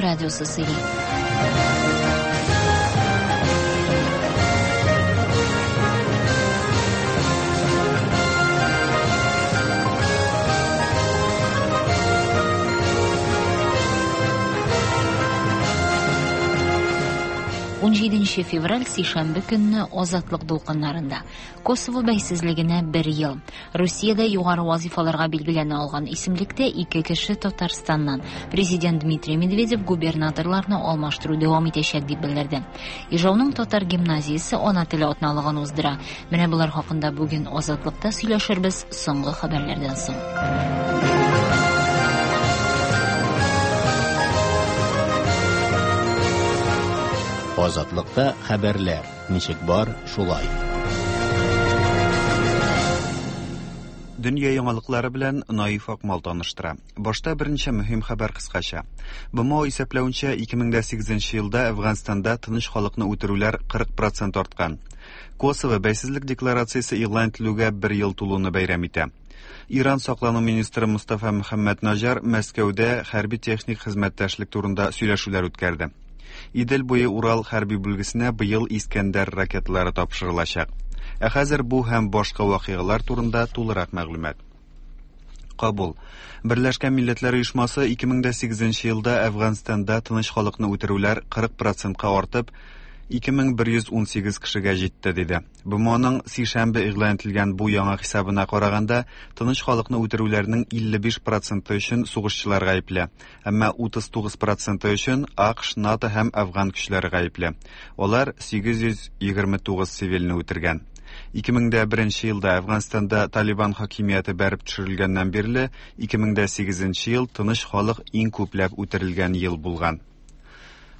радиосы сөйли. Унҗиденче февраль сишәмбе көнне Азатлык дулкыннарында Косово бәйсезлегенә бер ел. Русиядә югары вазифаларга билгеләнә алган исемлектә ике кеше Татарстаннан. Президент Дмитрий Медведев губернаторларны алмаштыру дәвам итәчәк дип белдерде. Ижауның татар гимназиясе ана теле атналыгын уздыра. Менә болар хакында бүген Азатлыкта сөйләшербез соңгы хәбәрләрдән соң. Азатлыкта хәбәрләр. Ничек бар, шулай. Дөнья яңалыклары белән Наиф Акмал таныштыра. Башта берничә мөһим хәбәр кыскача. БМО исәпләвенчә, 2008 елда Әфганстанда тыныч халыкны үтерүләр 40 процент арткан. Косово бәйсезлек декларациясе игълан ителүгә бер ел тулуны бәйрәм итә. Иран саклану министры Мустафа Мөхәммәд Наҗар Мәскәүдә хәрби-техник хезмәттәшлек турында сөйләшүләр үткәрде. Идел буе Урал хәрби бүлгесенә быел Искәндәр ракеталары тапшырылачак. Ә хәзер бу һәм башка вакыйгалар турында тулырак мәгълүмат. Кабул. Берләшкән Милләтләр Оешмасы 2008 елда Әфганстанда тыныч халыкны үтерүләр 40 процентка артып, 2118 кешегә җитте, диде. БМОның сишәмбе игълан ителгән бу яңа хисабына караганда, тыныч халыкны үтерүләрнең 55 проценты өчен сугышчылар гаепле. Әмма 39 проценты өчен АКШ, НАТО һәм Әфган көчләре гаепле. Алар 829 цивильне үтергән. 2001 елда Әфганстанда Талибан хакимияте бәреп төшерелгәннән бирле 2008 ел тыныч халык иң күпләп үтерелгән ел булган.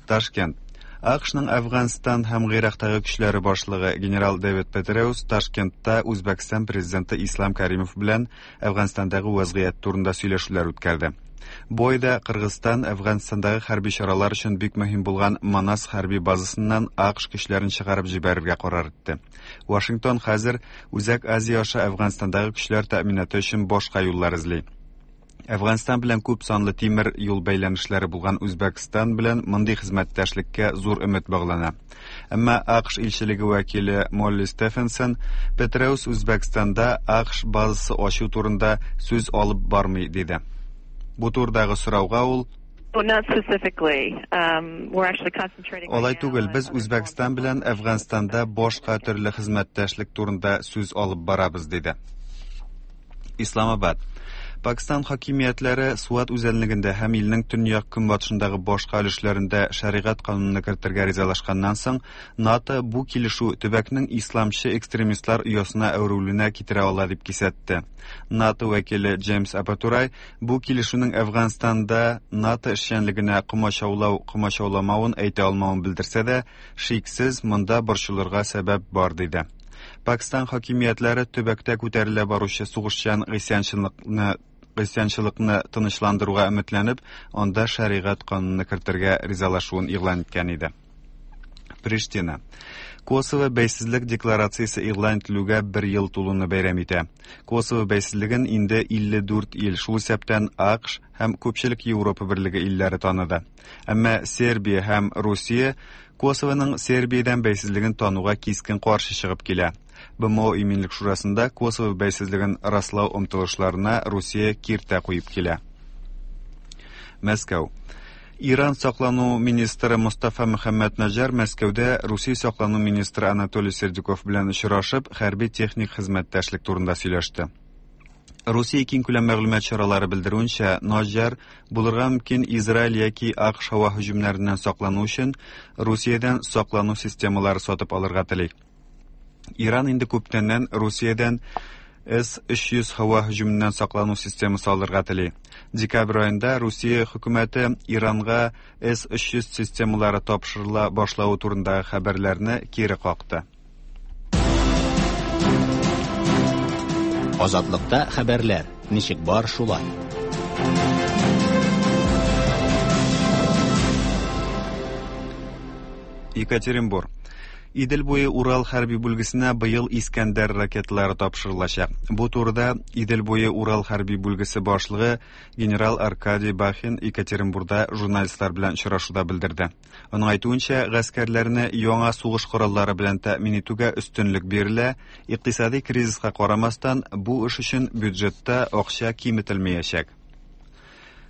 Ташкент. АКШның Әфганстан һәм Гыйрактагы көчләре башлыгы генерал Дэвид Петреус Ташкентта Үзбәкстан президенты Ислам Каримов белән Әфганстандагы вәзгыять турында сөйләшүләр үткәрде. Бу айда Кыргызстан Әфганстандагы хәрби чаралар өчен бик мөһим булган Манас хәрби базасыннан АКШ көчләрен чыгарып җибәрергә карар итте. Вашингтон хәзер Үзәк Азия аша Әфганстандагы көчләр тәэминаты өчен башка юллар эзли. Әфганстан белән күп санлы тимер юл бәйләнешләре булган Үзбәкстан белән мондый хезмәттәшлеккә зур өмет баглана. Әмма АКШ илчелеге вәкиле Молли Стефенсон Петреус Үзбәкстанда АКШ базасы ачу турында сүз алып бармый, диде. Бу турыдагы сорауга ул Алай түгел, без Үзбәкстан белән Әфганстанда башка төрле хезмәттәшлек турында сүз алып барабыз, диде. Исламабад. Пакистан хакимиятләре Суат үзәнлегендә һәм илнең төньяк-көнбатышындагы башка өлешләрендә шәригать канунын кертергә ризалашканнан соң, НАТО бу килешү төбәкнең исламчы экстремистлар оясына әверелүенә китерә ала дип кисәтте. НАТО вәкиле Джеймс Апатурай бу килешүнең Әфганстанда НАТО эшчәнлегенә комачаулау-комачауламавын әйтә алмавын белдерсә дә, шиксез, монда борчылырга сәбәп бар, диде. Пакистан хакимиятләре төбәктә күтәрелә баручы сугышчан гыйсьянчылыкны гыйсьянчылыкны тынычландыруга өметләнеп, анда шәригать кануны кертергә ризалашуын игълан иткән иде. Приштина. Косово бәйсезлек декларациясе игълан ителүгә бер ел тулуны бәйрәм итә. Косово бәйсезлеген инде 54 ил, шул исәптән АКШ һәм күпчелек Европа берлеге илләре таныды. Әмма Сербия һәм Русия Косовоның Сербиядән бәйсезлеген тануга кискен каршы чыгып килә. БМО Иминлек шурасында Косово бәйсезлеген раслау омтылышларына Русия киртә куеп килә. Мәскәү. Иран саклану министры Мустафа Мөхәммәд Наҗар Мәскәүдә Русия саклану министры Анатолий Сердюков белән очрашып, хәрби-техник хезмәттәшлек турында сөйләште. Русия киңкүләм мәгълүмат чаралары белдерүенчә, Наҗар булырга мөмкин Израиль яки АКШ һава һөҗүмнәреннән саклану өчен Русиядән саклану системалары сатып алырга тели. Иран инде күптәннән Русиядән С-300 һава һөҗүменнән саклану системасы алырга тели. Декабрь аенда Русия хөкүмәте Иранга С-300 системалары тапшырыла башлавы турындагы хәбәрләрне кире какты. Азатлыкта хәбәрләр, ничек бар шулай. Екатеринбург. Идел буе Урал хәрби бүлгесенә быел Искәндәр ракеталары тапшырылачак. Бу турыда Идел буе Урал хәрби бүлгесе башлыгы генерал Аркадий Бахин Екатеринбурда журналистлар белән очрашуда белдерде. Аның әйтүенчә, гаскәрләрне яңа сугыш кораллары белән тәэмин итүгә өстенлек бирелә, икътисади кризиска карамастан, бу эш өчен бюджетта акча киметелмәячәк.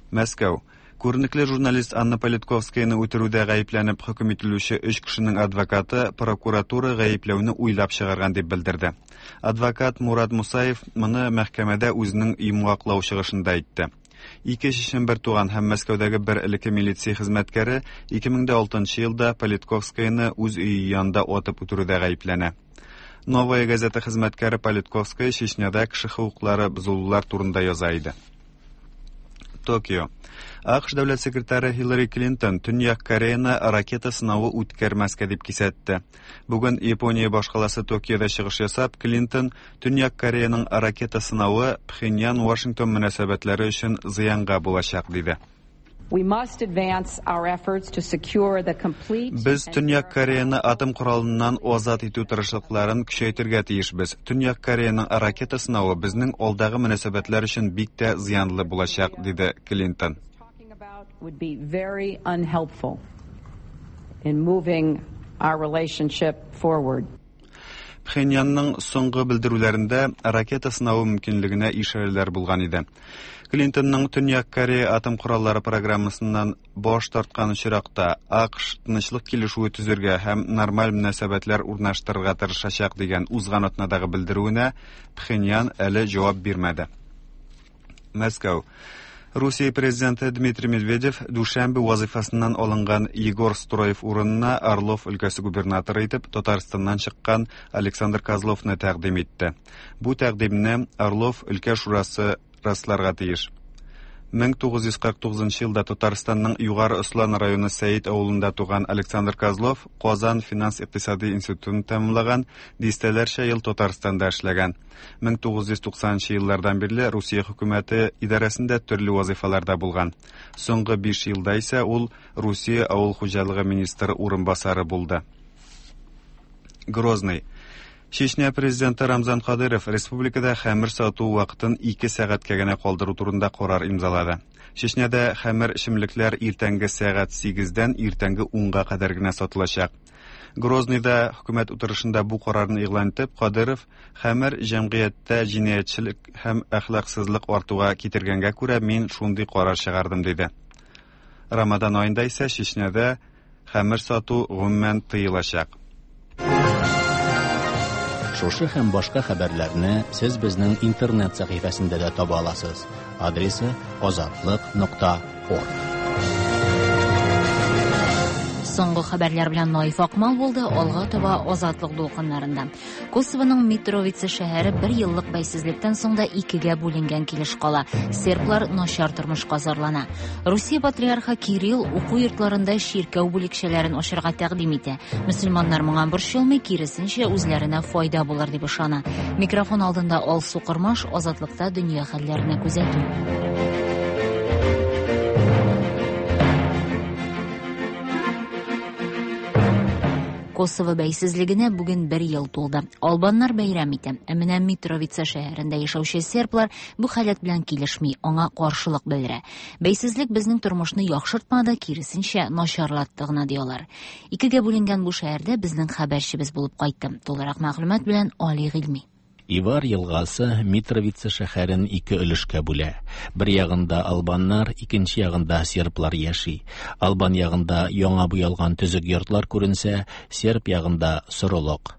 Мәскәү. Күренекле журналист Анна Политковскаяны үтерүдә гаепләнеп хөкем ителүче өч кешенең адвокаты прокуратура гаепләүне уйлап чыгарган дип белдерде. Адвокат Мурат Мусаев моны мәхкәмәдә үзенең йомгаклау чыгышында әйтте. Ике чечен бер туган һәм Мәскәүдәге бер элекке милиция хезмәткәре 2006 елда Политковскаяны үз өе янында атып үтерүдә гаепләнә. Новая газета хезмәткәре Политковская Чечняда кеше хокуклары бозылулар турында яза иде. Токио. АКШ дәүләт секретаре Хиллари Клинтон Төньяк Кореяны ракета сынавы үткәрмәскә дип кисәтте. Бүген Япония башкаласы Токиода чыгыш ясап, Клинтон Төньяк Кореяның ракета сынавы Пхеньян-Вашингтон мөнәсәбәтләре өчен зыянга булачак, диде. Без Төньяк Кореяны атом коралыннан азат итү тырышлыкларын көчәйтергә тиешбез. Төньяк Кореяның ракета сынавы безнең алдагы мөнәсәбәтләр өчен бик тә зыянлы булачак, диде Клинтон. Пхеньянның соңгы белдерүләрендә ракета сынавы мөмкинлегенә ишарәләр булган иде. Клинтонның Төньяк Корея атом кораллары программасыннан баш тарткан очракта АКШ тынычлык килешүе төзергә һәм нормаль мөнәсәбәтләр урнаштырырга тырышачак дигән узган атнадагы белдерүенә Пхеньян әле җавап бирмәде. Мәскәү. Русия президенты Дмитрий Медведев дүшәмбе вазыйфасыннан алынган Егор Строев урынына Орлов өлкәсе губернаторы итеп Татарстаннан чыккан Александр Козловны тәкъдим итте. Бу тәкъдимне Орлов өлкә шурасы расларга тиеш. 1949 елда Татарстанның Югары Ослан районы Сәет авылында туган Александр Козлов Казан финанс-икътисади институтын тәмамлаган, дистәләрчә ел Татарстанда эшләгән. 1990 еллардан бирле Русия хөкүмәте идарәсендә төрле вазыйфаларда булган. Соңгы 5 елда исә ул Русия авыл хуҗалыгы министры урынбасары булды. Грозный. Чечня президенты Рамзан Кадыров республикада хәмер сату вакытын 2 сәгатькә генә калдыру турында карар имзалады. Чечняда хәмер эчемлекләр иртәнге сәгать 8-дән иртәнге 10-га кадәр генә сатылачак. Грозныйда хөкүмәт утырышында бу карарны игълан итеп, Кадыров хәмер җәмгыятьтә җинаятьчелек һәм әхлаксызлык артуга китергәнгә күрә мин шундый карар чыгардым, диде. Рамадан аенда исә Чечняда хәмер сату гомумән тыелачак. Шушы һәм башка хәбәрләрне сез безнең интернет сәхифәсендә дә таба аласыз. Адресы azatliq.org. Соңгы хәбәрләр белән Наиф Акмал булды, алга таба Азатлык дулкыннарында. Косовоның Митровица шәһәре бер еллык бәйсезлектән соң да икегә бүленгән килеш кала. Серблар начар тормышка зарлана. Русия патриархы Кирилл уку йортларында чиркәү бүлекчәләрен ачарга тәкъдим итә. Мөселманнар моңа борчылмый, киресенчә, үзләренә файда булыр дип ышана. Микрофон алдында Алсу Кормаш, Азатлыкта дөнья хәлләренә күзәтү. Косово бәйсезлегенә бүген бер ел тулды. Албаннар бәйрәм итә. Ә менә Митровица шәһәрендә яшәүче серблар бу халәт белән килешми, аңа каршылык белдерә. Бәйсезлек безнең тормышны яхшыртмады, киресенчә начарлатты гына ди алар. Икегә бүленгән бу шәһәрдә безнең хәбәрчебез булып кайтты. Тулырак мәгълүмат белән Али Гыйльми. Ивар елгасы Митровица шәһәрен ике өлешкә бүлә. Бер ягында албаннар, икенче ягында серблар яши. Албан ягында яңа буялган төзек йортлар күренсә, серб ягында сорылык.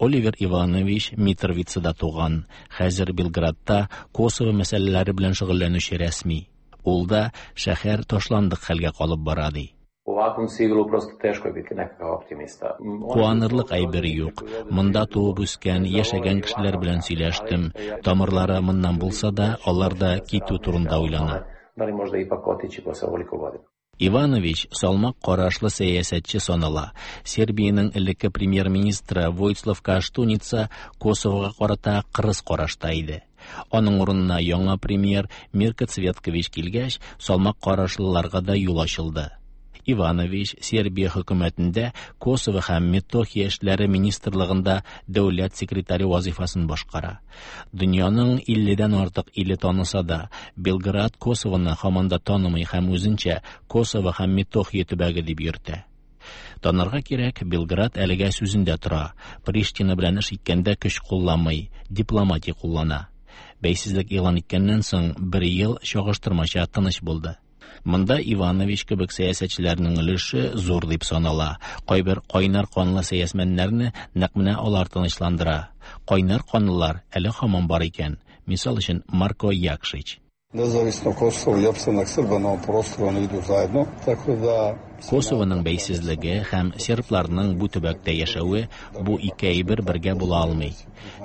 Оливер Иванович Митровицада туган, хәзер Белградта Косово мәсьәләләре белән шөгыльләнүче рәсми. Ул да шәһәр ташландык хәлгә калып бара ди. U ovakvom sivilu prosto teško je biti nekakav optimista. Куанырлык әйбер юк. Монда туып үскән, яшәгән кешеләр белән сөйләштем. Тамырлары моннан булса да, алар да китү турында уйлана. Da li možda ipak otići posle ovoliko godina? Иванович салмак карашлы сәясәтче санала. Сербиянең элекке премьер-министры Войслав Каштуница Косовога карата кырыс карашта иде. Аның урынына яңа премьер Мирко Цветкович килгәч, салмак карашлыларга да юл ачылды. Иванович Сербия хөкүмәтендә Косово һәм Метохия эшләре министрлыгында дәүләт секретаре вазифасын башкара. Дөньяның 50дән артык иле таныса да, Белград Косовоны һаман да танымый һәм үзенчә Косово һәм Метохия төбәге дип йөртә. Танырга кирәк, Белград әлегә сүзендә тора. Приштина белән эш иткәндә көч кулланмый, дипломатия куллана. Бәйсезлек игълан иткәннән соң бер ел чагыштырмача тыныч булды. Монда Иванович кебек сәясәтчеләрнең өлеше зур дип санала. Кайбер кайнар канлы сәясмәннәрне нәкъ менә алар тынычландыра. Кайнар канлылар әле һаман бар икән. Мисал өчен Марко Якшич. Nezavisno Kosovo i opstanak Srba na ovom prostoru oni idu zajedno, tako da Косованың бәйсезлеге һәм сербларның бу төбәктә яшәве бу ике әйбер бергә була алмый.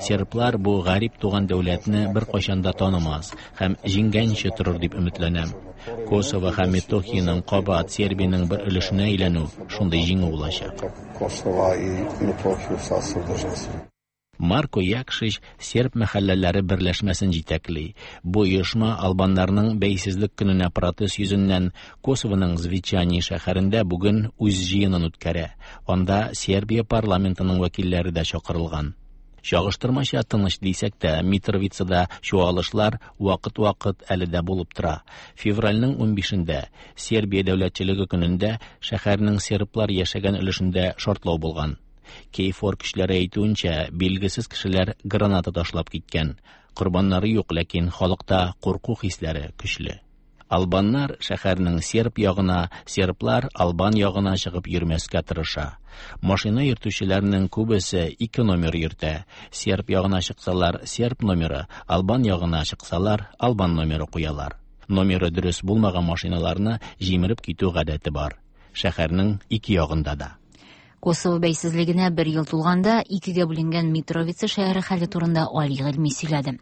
Серблар бу гарип туган дәүләтне беркайчан да танымас һәм җиңгәнче торыр дип өметләнәм. Косово һәм Метохиянең кабат Сербиянең бер өлешенә әйләнү шундый җиңү булачак. Kosova i Metohiju u sastavu države Srbije. Марко Якшич серб мәхәлләләре берләшмәсен җитәкли. Бу оешма албаннарның бәйсезлек көненә протест йөзеннән Косованың Звечани шәһәрендә бүген үз җыенын үткәрә. Анда Сербия парламентының вәкилләре дә чакырылган. Чагыштырмача тыныч дисәк тә, Митровицада чуалышлар вакыт-вакыт әле дә булып тора. Февральнең 15-ндә Сербия дәүләтчелеге көнендә шәһәрнең серблар яшәгән өлешендә шартлау булган. Кейфор көчләре әйтүенчә, билгесез кешеләр граната ташлап киткән. Корбаннары юк, ләкин халыкта курку хисләре көчле. Албаннар шәһәрнең серб ягына, серблар албан ягына чыгып йөрмәскә тырыша. Машина йөртүчеләрнең күбесе ике номер йөртә. Серб ягына чыксалар серб номеры, албан ягына чыксалар албан номеры куялар. Номеры дөрес булмаган машиналарны җимереп китү гадәте бар. Шәһәрнең ике ягында да. Косово бәйсезлегенә бер ел тулганда икегә бүленгән Митровица шәһәре хәле турында Али Гыйльми сөйләде.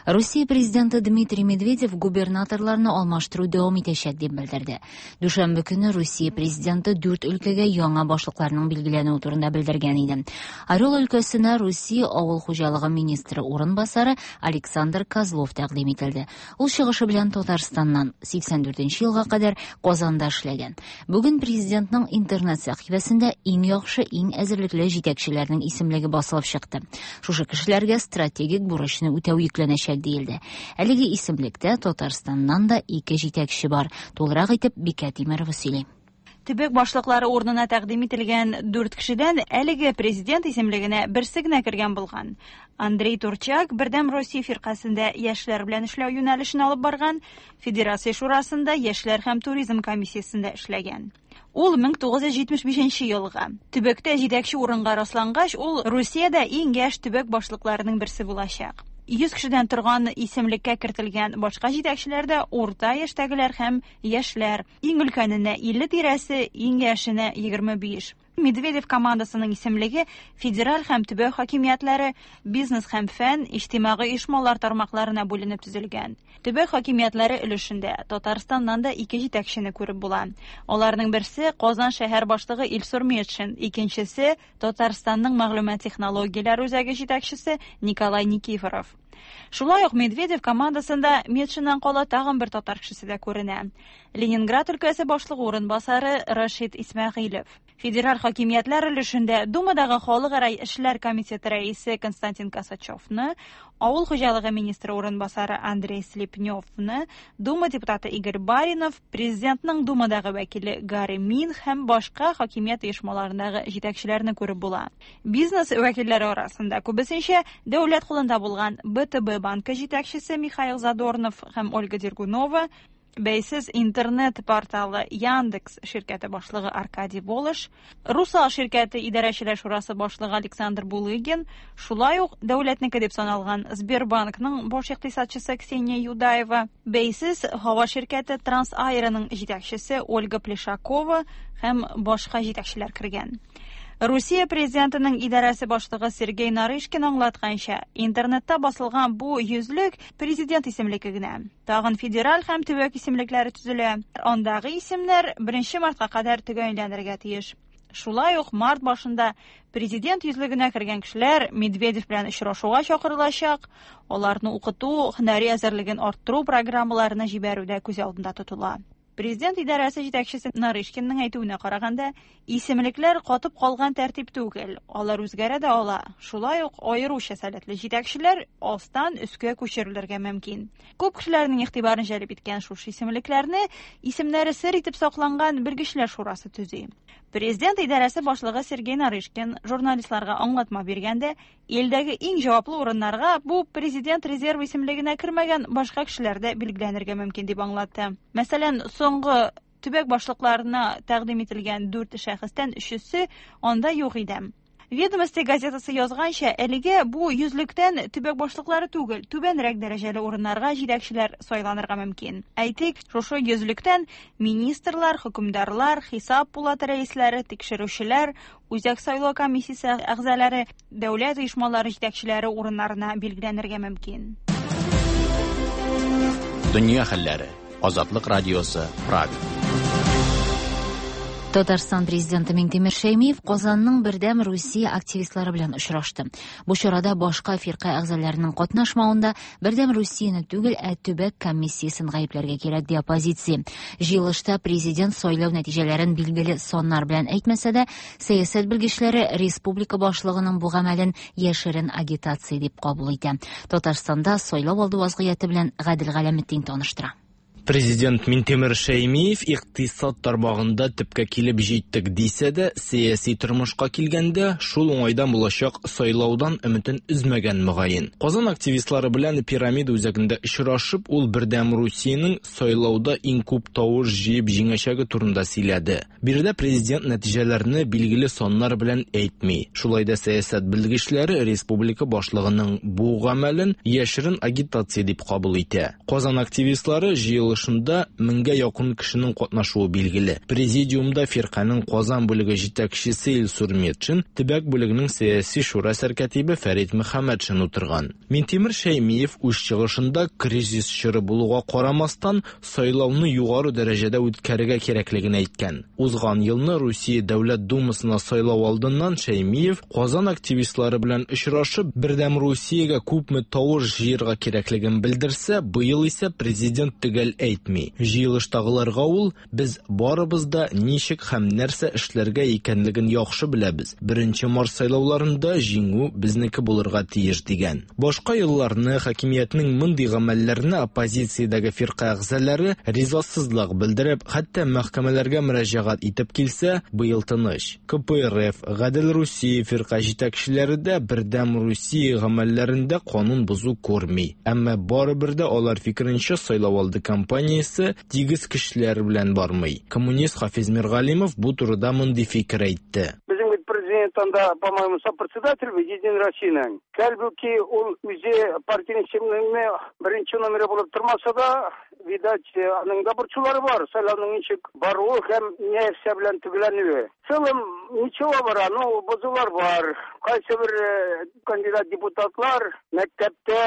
Русия президенты Дмитрий Медведев губернаторларны алмаштыру дәвам итәчәк дип белдерде. Дүшәмбе көне Русия президенты дүрт өлкәгә яңа башлыкларның билгеләнүе турында белдергән иде. Орел өлкәсенә Русия авыл хуҗалыгы министры урынбасары Александр Козлов тәкъдим ителде. Ул чыгышы белән Татарстаннан 84 елга кадәр Казанда эшләгән. Бүген президентның интернет сәхифәсендә иң яхшы, иң әзерлекле җитәкчеләрнең исемлеге басылып чыкты. Шушы кешеләргә стратегик бурычны үтәү йөкләнәчәк диелде. Әлеге исемлектә Татарстаннан да ике җитәкче бар. Тулырак итеп Бикә Тимерова сөйли. Төбәк башлыклары урынына тәкъдим ителгән дүрт кешедән әлеге президент исемлегенә берсе генә кергән булган. Андрей Турчак Бердәм Россия фиркасендә яшьләр белән эшләү юнәлешен алып барган, Федерация шурасында яшьләр һәм туризм комиссиясендә эшләгән. Ул 1975 елгы. Төбәктә җитәкче урынга раслангач, ул Русиядә иң яшь төбәк башлыкларының берсе булачак. 100 кешедән торган исемлеккә кертелгән башка җитәкчеләр дә урта яшьтәгеләр һәм яшьләр. Иң өлкәненә 50 тирәсе, иң яшенә 25. Медведев командасының исемлеге федераль һәм төбәк хакимиятләре, бизнес һәм фән, иҗтимагый оешмалар тармакларына бүленеп төзелгән. Төбәк хакимиятләре өлешендә Татарстаннан да ике җитәкчене күреп була. Аларның берсе Казан шәһәр башлыгы Илсур Метшин, икенчесе Татарстанның мәгълүмат технологияләре үзәге җитәкчесе Николай Никифоров. Шулай ук Медведев командасында Метшиннан кала тагын бер татар кешесе дә күренә. Ленинград өлкәсе башлыгы урынбасары Рашид Исмәгыйлев. Федераль хакимиятләр өлешендә Думадагы халыкара эшләр комитеты рәисе Константин Косачевны, авыл хуҗалыгы министры урынбасары Андрей Слепневны, Дума депутаты Игорь Баринов, президентның Думадагы вәкиле Гарри Мин һәм башка хакимият оешмаларындагы җитәкчеләрне күреп була. Бизнес вәкилләре арасында күбесенчә дәүләт кулында булган БТБ банкы җитәкчесе Михаил Задорнов һәм Ольга Дергунова, бәйсез интернет порталы Яндекс ширкәте башлыгы Аркадий Волош, Русал ширкәте идарәчеләр шурасы башлыгы Александр Булыгин, шулай ук дәүләтнеке дип саналган Сбербанкның баш икътисадчысы Ксения Юдаева, бәйсез һава ширкәте Трансаэроның җитәкчесе Ольга Плешакова һәм башка җитәкчеләр кергән. Русия президентының идарәсе башлыгы Сергей Нарышкин аңлатканча, интернетта басылган бу йөзлек президент исемлеге генә. Тагын федераль һәм төбәк исемлекләре төзелә. Андагы исемнәр 1 мартка кадәр төгәлләнергә тиеш. Шулай ук март башында президент йөзлегенә кергән кешеләр Медведев белән очрашуга чакырылачак. Аларны укыту, һөнәри әзерлеген арттыру программаларына җибәрү дә күз алдында тотыла. Президент идарәсе җитәкчесе Нарышкинның әйтүенә караганда, исемлекләр катып калган тәртип түгел, алар үзгәрә дә ала. Шулай ук аеруча сәләтле җитәкчеләр астан өскә күчерелергә мөмкин. Күп кешеләрнең игътибарын җәлеп иткән шушы исемлекләрне исемнәре сер итеп сакланган белгечләр шурасы төзи. Президент идарәсе башлыгы Сергей Нарышкин журналистларга аңлатма биргәндә, илдәге иң җаваплы урыннарга бу президент резервы исемлегенә кермәгән башка кешеләр дә билгеләнергә мөмкин дип аңлатты. Мәсәлән, соңгы төбәк башлыкларына тәкъдим ителгән дүрт шәхестән өчесе анда юк иде. Ведомости газетасы язганча, әлегә бу йөзлектән төбәк башлыклары түгел, түбәнрәк дәрәҗәле урыннарга җитәкчеләр сайланырга мөмкин. Әйтик, шушы йөзлектән министрлар, хөкемдарлар, хисап пулаты рәисләре, тикшерүчеләр, Үзәк сайлау комиссиясе әгъзалары, дәүләт оешмалары җитәкчеләре урыннарына билгеләнергә мөмкин. Дөнья хәлләре. Азатлык радиосы, Прага. Татарстан президенты Миңтимер Шәймиев Казанның Бердәм Русия активистлары белән очрашты. Бу чарада башка фирка әгъзаларының катнашмавында Бердәм Русияне түгел, ә төбәк комиссиясен гаепләргә кирәк, ди оппозиция. Җыелышта президент сайлау нәтиҗәләрен билгеле саннар белән әйтмәсә дә, сәясәт белгечләре республика башлыгының бу гамәлен яшерен агитация дип кабул итә. Татарстанда сайлау алды вазгыяте белән Гадел Галәметдин таныштыра. Президент Минтимер Шәймиев икътисад тармагында төпкә килеп җиттек дисә дә, сәяси тормышка килгәндә, шул уңайдан булачак сайлаудан өметен өзмәгән мөгаен. Казан активистлары белән Пирамида үзәгендә очрашып, ул Бердәм Русиянең сайлауда иң күп тавыш җыеп җиңәчәге турында сөйләде. Биредә президент нәтиҗәләрне билгеле саннар белән әйтми. Шулай да сәясәт белгечләре республика башлыгының бу гамәлен яшерен агитация дип кабул итә. Казан активистлары җыелышында меңгә якын кешенең катнашуы билгеле. Президиумда фирканең Казан бүлеге җитәкчесе Илсур Метшин, төбәк бүлегенең сәяси шура сәркәтибе Фәрит Мөхәммәтшин утырган. Минтимер Шәймиев үз чыгышында кризис чоры булуга карамастан, сайлауны югары дәрәҗәдә үткәрергә кирәклеген әйткән. Узган елны Русия Дәүләт Думасына сайлау алдыннан Шәймиев Казан активистлары белән очрашып, Бердәм Русиягә күпме тавыш җыярга кирәклеген белдерсә, быел исә президент төгәл әйтми. Җыелыштагыларга ул Без барыбыз да ничек һәм нәрсә эшләргә икәнлеген яхшы беләбез. Беренче март сайлауларында җиңү безнеке булырга тиеш, дигән. Башка елларны хакимиятнең мондый гамәлләренә оппозициядәге фирка әгъзалары ризасызлык белдереп, хәтта мәхкәмәләргә мөрәҗәгать итеп килсә, быел тыныч. КПРФ, Гадел Русия фирка җитәкчеләре дә Бердәм Русия гамәлләрендә канун бозу күрми. Әмма барыбер дә алар фикеренчә сайлауалды кампаниясе тигез көчләр белән бармый. Коммунист Хафиз Миргалимов бу турыда мондый фикер әйтте. Безнең бит президент анда, по-моему, сопредседатель Единой Россиянең. Хәлбуки ул үзе партиянең исемлегендә беренче номеры булып тормаса да, видать, аның да борчулары бар, сайлауның ничек баруы һәм нәрсә белән төгәлләнүе. В целом, ничего бара, ну, бозулар бар. Кайсы бер э, кандидат депутатлар мәктәптә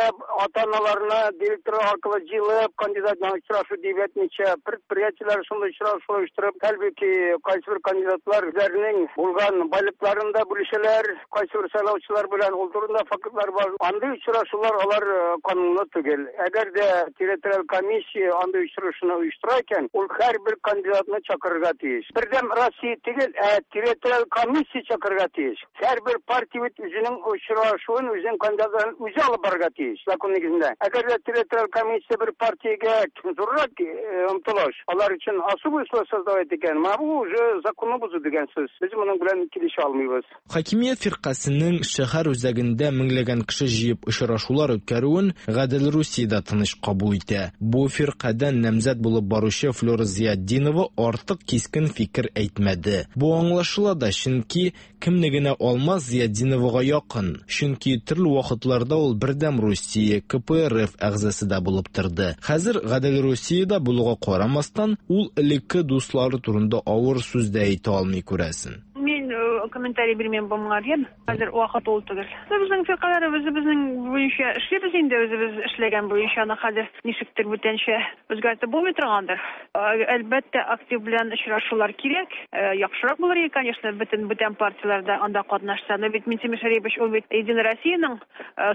ата-аналарны директор аркылы җыелып, кандидат белән очрашу дип әйтмичә, предприятиеләр шундый очрашу оештырып, хәлбуки кайсы бер кандидатлар үзләренең булган байлыкларын да бүлешәләр, кайсы бер сайлаучылар белән ул турында фактлар бар. Андый очрашулар алар э, канунлы түгел. Әгәр дә территориаль комиссия андый очрашуны оештыра икән, ул һәрбер кандидатны чакырырга тиеш. Бердәм Россия түгел, ә территориаль комиссия чакырырга тиеш. Һәрбер партия бит үзенең очрашуын, үзенең кандидатларын үзе алып барырга тиеш, закон нигезендә. Әгәр дә территориаль комиссия бер партиягә зуррак э, омтылыш, алар өчен особый условия создавать икән, менә бу уже законны бозу дигән сүз. Без моның белән килешә алмыйбыз. Хакимият фиркасенең шәһәр үзәгендә меңләгән кеше җыеп очрашулар үткәрүен Гадел Русия дә тыныч кабул итә. Бу фиркадән намзәт булып баручы Флюра Зыятдинова артык кискен фикер әйтмәде. Бу аңлашыла да, чөнки Кемне генә алма, Зыятдиновага якын, чөнки төрле вакытларда ул Бердәм Русия, КПРФ әгъзасы да булып торды. Хәзер Гадел Русиядә булуга карамастан, ул элекке дуслары турында авыр сүз дә әйтә алмый, күрәсен. Мин комментарий бирмим бу моңа, яме? Хәзер вакыт ул түгел. Безнең фиркаләр үзебезнең буенча эшлибез инде, үзебез эшләгән буенча, аны хәзер ничектер бүтәнчә үзгәртеп булмый торгандыр. Әлбәттә, актив белән очрашулар кирәк. Яхшырак булыр иде, конечно, бөтен бүтән партияләр дә анда катнашса. Но бит Минтимер Шәрипович ул бит Единая Россиянең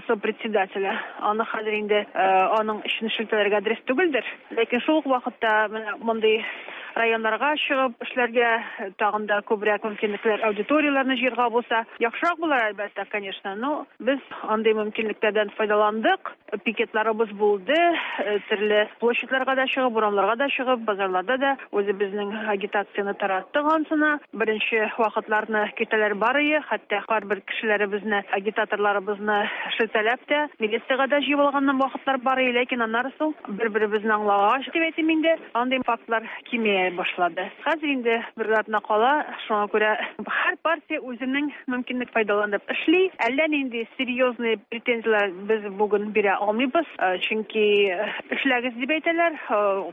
сопредседателе. Аны хәзер инде аның өчен шелтәләргә дөрес түгелдер. Ләкин шул ук вакытта менә мондый районнарга чыгып эшләргә, тагын да күбрәк мөмкинлекләр, аудиторияләрне җыярга булса, яхшырак булыр, әлбәттә, конечно. Но без андый мөмкинлекләрдән файдаландык, пикетларыбыз булды, төрле площадьларга да чыгып, урамнарга да чыгып, базарларда да үзебезнең агитацияне тараттык ансына. Беренче вакытларны киртәләр бар ие, хәтта кайбер кешеләребезне, агитаторларыбызны шелтәләп тә, милициягә дә җыеп алган вакытлар бар ие, ләкин аннары соң бер-беребезне аңлагач, дип әйтим инде, андый фактлар кимия башлады. Хәзер инде бер атна кала, шуңа күрә һәр партия үзенең мөмкинлек файдаланып эшли. Әллә нинди серьезный претензияләр без бүген бирә алмыйбыз, чөнки эшләгез дип әйтәләр,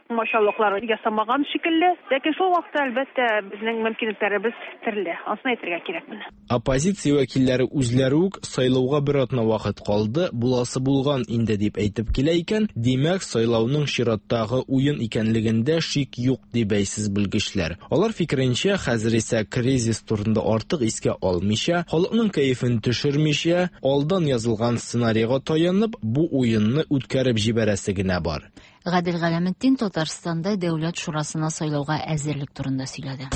комачаулыклар ясамаган шикелле. Ләкин шул вакытта, әлбәттә, безнең мөмкинлекләребез төрле. Анысын әйтергә кирәк менә. Оппозиция вәкилләре үзләре үк сайлауга бер атна вакыт калды, буласы булган инде дип әйтеп килә икән, димәк, сайлауның чираттагы уен икәнлегендә шик юк, ди бәйсез белгечләр. Алар фикеренчә, хәзер исә кризис турында артык искә алмыйча, халыкның кәефен төшермичә, алдан язылган сценарийга таянып, бу уенны үткәреп җибәрәсе генә бар. Гадел Галәметдин Татарстанда Дәүләт шурасына сайлауга әзерлек турында сөйләде.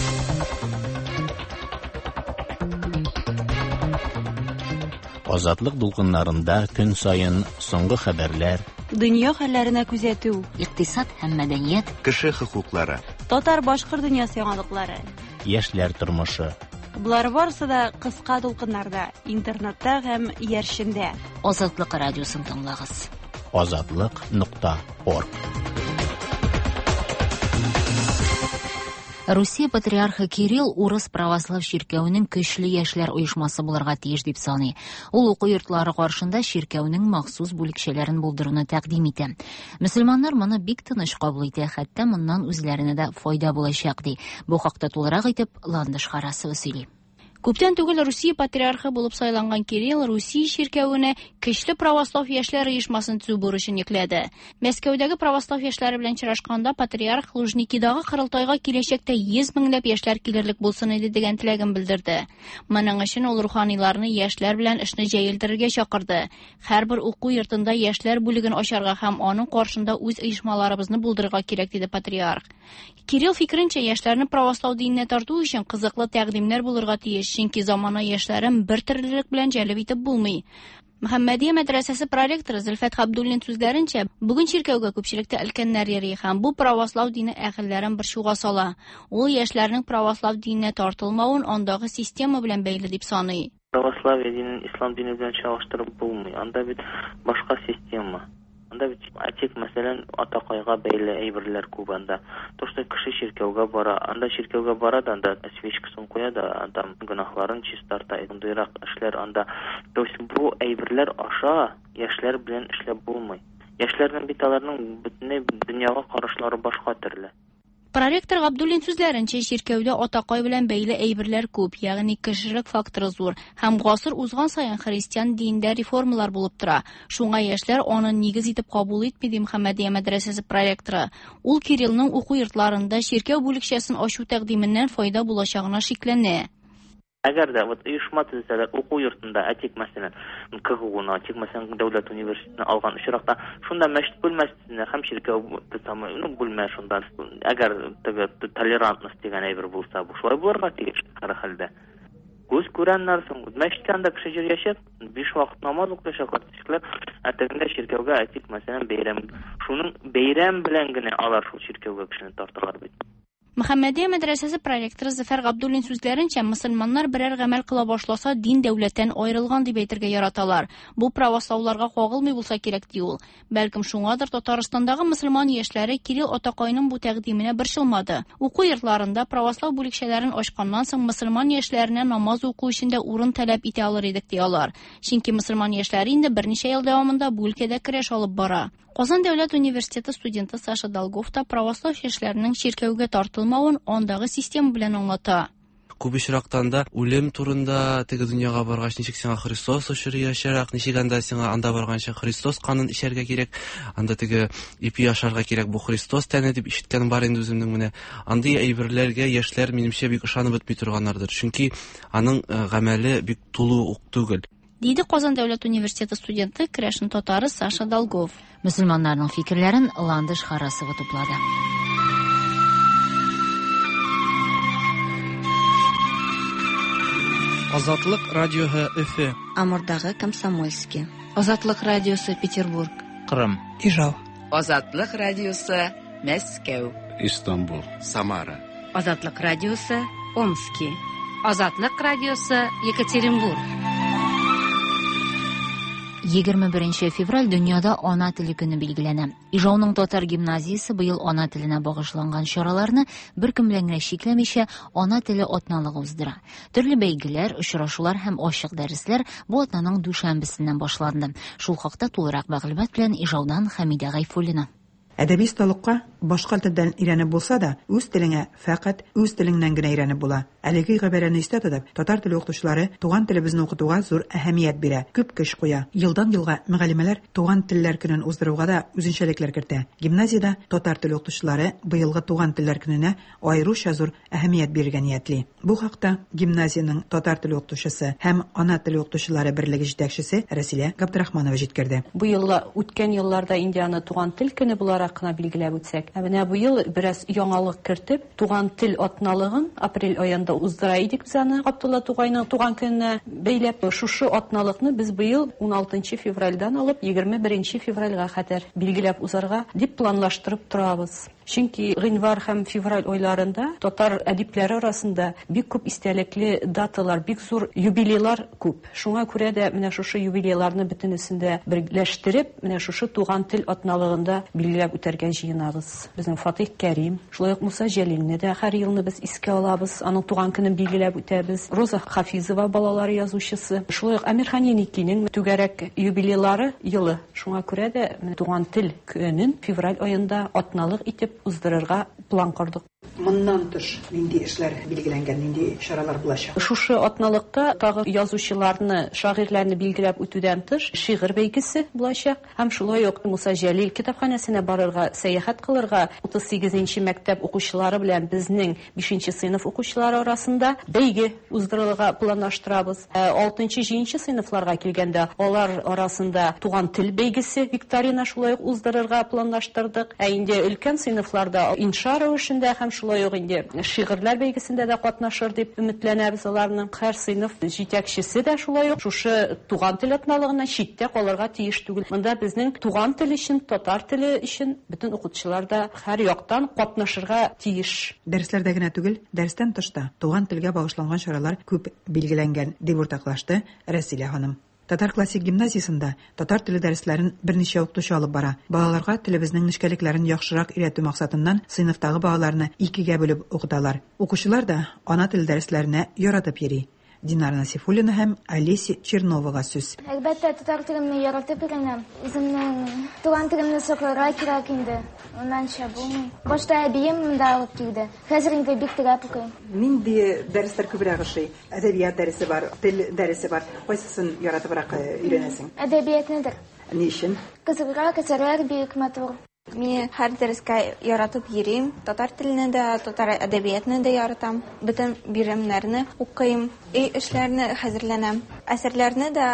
Азатлык дулкыннарында көн саен соңгы хәбәрләр, дөнья хәлләренә күзәтү, икътисад һәм мәдәният, кеше хокуклары, татар-башкорт дөньясы яңалыклары, яшьләр тормышы. Болар барысы да кыска дулкыннарда, интернетта һәм иярчендә. Азатлык радиосын тыңлагыз. Азатлык.орг. Русия патриархы Кирилл урыс православ чиркәвенең көчле яшьләр оешмасы булырга тиеш дип саный. Ул уку йортлары каршында чиркәүнең махсус бүлекчәләрен булдыруны тәкъдим итә. Мөселманнар моны бик тыныч кабул итә, хәтта моннан үзләренә дә файда булачак ди. Бу хакта тулырак итеп Ландыш Харасова сөйли. Күптән түгел Русия патриархы булып сайланган Кирилл Русия чиркәвенә көчле православ яшьләр оешмасын төзү бурычын йөкләде. Мәскәүдәге православ яшьләре белән очрашканда патриарх Лужникидагы корылтайга киләчәктә 100 меңләп яшьләр килерлек булсын иде дигән теләген белдерде. Моның өчен ул руханиларны яшьләр белән эшне җәелдерергә чакырды. Һәрбер уку йортында яшьләр бүлеген ачарга һәм аның каршында үз оешмаларыбызны булдырырга кирәк, диде патриарх. Кирилл фикеренчә, яшьләрне православ диненә тарту өчен кызыклы тәкъдимнәр булырга тиеш, чөнки замана яшьләрен бер төрлелек белән җәлеп итеп булмый. Мөхәммәдия мәдрәсәсе проректоры Зөлфәт Габдуллин сүзләренчә, бүген чиркәүгә күпчелектә өлкәннәр йөри һәм бу православ дине әһелләрен борчуга сала. Ул яшьләрнең православ диненә тартылмавын андагы система белән бәйле дип саный. Православие динен ислам дине белән чагыштырып булмый. Анда бит башка система. Анда бит әйтик, мәсәлән, атакайга бәйле әйберләр күп анда. То, что кеше чиркәүгә бара, анда чиркәүгә бара да, анда свечкасын куя да, анда гөнаһларын чистарта, мондыйрак эшләр анда. То есть бу әйберләр аша яшьләр белән эшләп булмый. Яшьләрнең бит аларның бөтенләй дөньяга карашлары башка төрле. Проректор Габдуллин сүзләренчә, чиркәүдә атакай белән бәйле әйберләр күп, ягъни кешелек факторы зур һәм гасыр узган саен христиан динендә реформалар булып тора. Шуңа яшьләр аны нигез итеп кабул итми, ди Мөхәммәдия мәдрәсәсе проректоры. Ул Кириллның уку йортларында чиркәү бүлекчәсен ачу тәкъдименнән файда булачагына шикләнә. Әгәр дә вот оешма төзесәләр уку йортында, әйтик, мәсәлән, КГУны, әйтик, мәсәлән, дәүләт университетын алган очракта, шунда мәчет бүлмәсенә һәм чиркәү ну, бүлмә шунда. Әгәр теге толерантность дигән әйбер булса, бу шулай булырга тиеш һәр хәлдә. Күз күрәннәр соң, мәчеткә анда кеше йөриячәк, 5 вакыт намаз укыячаклар, кешеләр, ә тегендә чиркәүгә, әйтик, мәсәлән, бәйрәм. Шуның бәйрәм белән генә алар шул чиркәүгә кешене тарталар бит. Мөхәммәдия мәдрәсәсе проректоры Зөфәр Габдуллин сүзләренчә, мөселманнар берәр гамәл кыла башласа, дин дәүләттән аерылган дип әйтергә яраталар. Бу правослауларга кагылмый булса кирәк, ди ул. Бәлкем шуңадыр Татарстандагы мөселман яшьләре Кирилл атакайның бу тәкъдименә борчылмады. Уку йортларында православ бүлекчәләрен ачканнан соң мөселман яшьләренә намаз уку өчен дә урын таләп итә алыр идек, ди алар. Чөнки мөселман яшьләре инде берничә ел дәвамында бу өлкәдә көрәш алып бара. Казан дәүләт университеты студенты Саша Долгов та православ яшьләренең чиркәүгә тартылмавын андагы система белән аңлата. Күп очракта анда үлем турында, теге дөньяга баргач, ничек сиңа Христос очраячак, ничек анда сиңа анда барганчы Христос канын эчәргә кирәк, анда теге ипи ашарга кирәк, бу Христос тәне дип ишеткәнем бар инде үземнең менә. Андый әйберләргә яшьләр, минемчә, бик ышанып бетми торганнардыр. Чөнки аның э, гамәле бик тулы ук түгел. Диде Казан дәүләт университеты студенты, керәшен татары Саша Долгов. Мөселманнарның фикерләрен Ландыш Харасова туплады. Азатлык радиоһы Өфе. Амурдагы Комсомольский. Азатлык радиосы Петербург. Кырым. Ижау. Азатлык радиосы Мәскәү. Истанбул. Самара. Азатлык радиосы Омски. Азатлык радиосы Екатеринбург. 21 февраль дөньяда ана теле көне билгеләнә. Ижауның татар гимназиясе быел ана теленә багышланган чараларны беркем белән генә чикләмичә ана теле атналыгы уздыра. Төрле бәйгеләр, очрашулар һәм ачык дәресләр бу атнаның дүшәмбесеннән башланды. Шул хакта тулырак мәгълүмат белән Ижаудан Хәмидә Гайфуллина. Әдәби осталыкка башка телдән өйрәнеп булса да, үз телеңә фәкать үз телеңнән генә өйрәнеп була. Әлеге гыйбарәне истә тотып, татар теле укытучылары туган телебезне укытуга зур әһәмият бирә, күп көч куя. Елдан-елга мөгаллимәләр туган телләр көнен уздыруга да үзенчәлекләр кертә. Гимназиядә татар теле укытучылары быелгы туган телләр көненә аеруча зур әһәмият бирергә ниятли. Бу хакта гимназиянең татар теле укытучысы һәм ана теле укытучылары берлеге җитәкчесе Рәсилә Габдрахманова җиткерде. Бу елла үткән елларда инде аны туган тел көне буларак кына билгеләп үтсәк, ә менә быел бераз яңалык кертеп, туган тел атналыгын апрель аенда уздыра идек без аны Габдулла Тукайның туган көненә бәйләп. Шушы атналыкны без быел 16 февральдән алып 21 февральгә кадәр билгеләп узарга дип планлаштырып торабыз. Чөнки гыйнвар һәм февраль айларында татар әдипләре арасында бик күп истәлекле даталар, бик зур юбилейлар күп. Шуңа күрә дә менә шушы юбилейларны бөтенесен дә берләштереп, менә шушы туган тел атналыгында билгеләп үтәргә җыенабыз. Безнең Фатих Кәрим, шулай ук Муса Җәлилне дә һәр елны без искә алабыз, аның туган көнен билгеләп үтәбез. Роза Хафизова балалар язучысы, шулай ук Әмирхан Еникинең түгәрәк юбилейлары елы. Шуңа күрә дә менә туган тел көнен февраль аенда атналык итеп уздырырга план кордык. Моннан тыш нинди эшләр билгеләнгән, нинди чаралар булачак? Шушы атналыкта тагы язучыларны, шагыйрьләрне билгеләп үтүдән тыш шигырь бәйгесе булачак һәм шулай ук Муса Җәлил китапханәсенә барырга, сәяхәт кылырга 38 мәктәп укучылары белән безнең 5 сыйныф укучылары арасында бәйге уздырырга планлаштырабыз. 6-7 сыйныфларга килгәндә, алар арасында туган тел бәйгесе викторина шулай ук уздырырга планлаштырдык. Ә инде өлкән сыйныфларда инша рәвешендә һәм шулай ук инде шигырьләр бәйгесендә дә катнашыр дип өметләнәбез аларның. Һәр сыйныф җитәкчесе дә шулай ук шушы туган тел атналыгыннан читтә калырга тиеш түгел. Монда безнең туган тел өчен, татар теле өчен бөтен укытучылар да һәр яктан катнашырга тиеш. Дәресләрдә генә түгел, дәрестән тыш та туган телгә багышланган чаралар күп билгеләнгән, дип уртаклашты Рәсилә ханым. Татар классик гимназиясендә татар теле дәресләрен берничә укытучы алып бара. Балаларга телебезнең нечкәлекләрен яхшырак өйрәтү максатыннан сыйныфтагы балаларны икегә бүлеп укыталар. Укучылар да ана теле дәресләренә яратып йөри. Динара Насифуллина һәм Олеся Черновага сүз. Әлбәттә, татар телемне яратып өйрәнәм. Үземнең туган телемне сакларга кирәк инде. Моннанча булмый. Башта әбием монда алып килде. Хәзер инде бик теләп укыйм. Нинди дәресләр күбрәк ошый? Әдәбият дәресе бар, тел дәресе бар. Кайсысын яратыбрак өйрәнәсең? Әдәбиятныдыр. Ни өчен? Кызыграк, әсәрләр бик матур. Мин һәр дәрескә яратып йөрим. Татар телене дә, татар әдәбиятны да яратам. Бөтен биремнәрне укыйм, өй эшләрне хәзерләнәм. Әсәрләрне дә,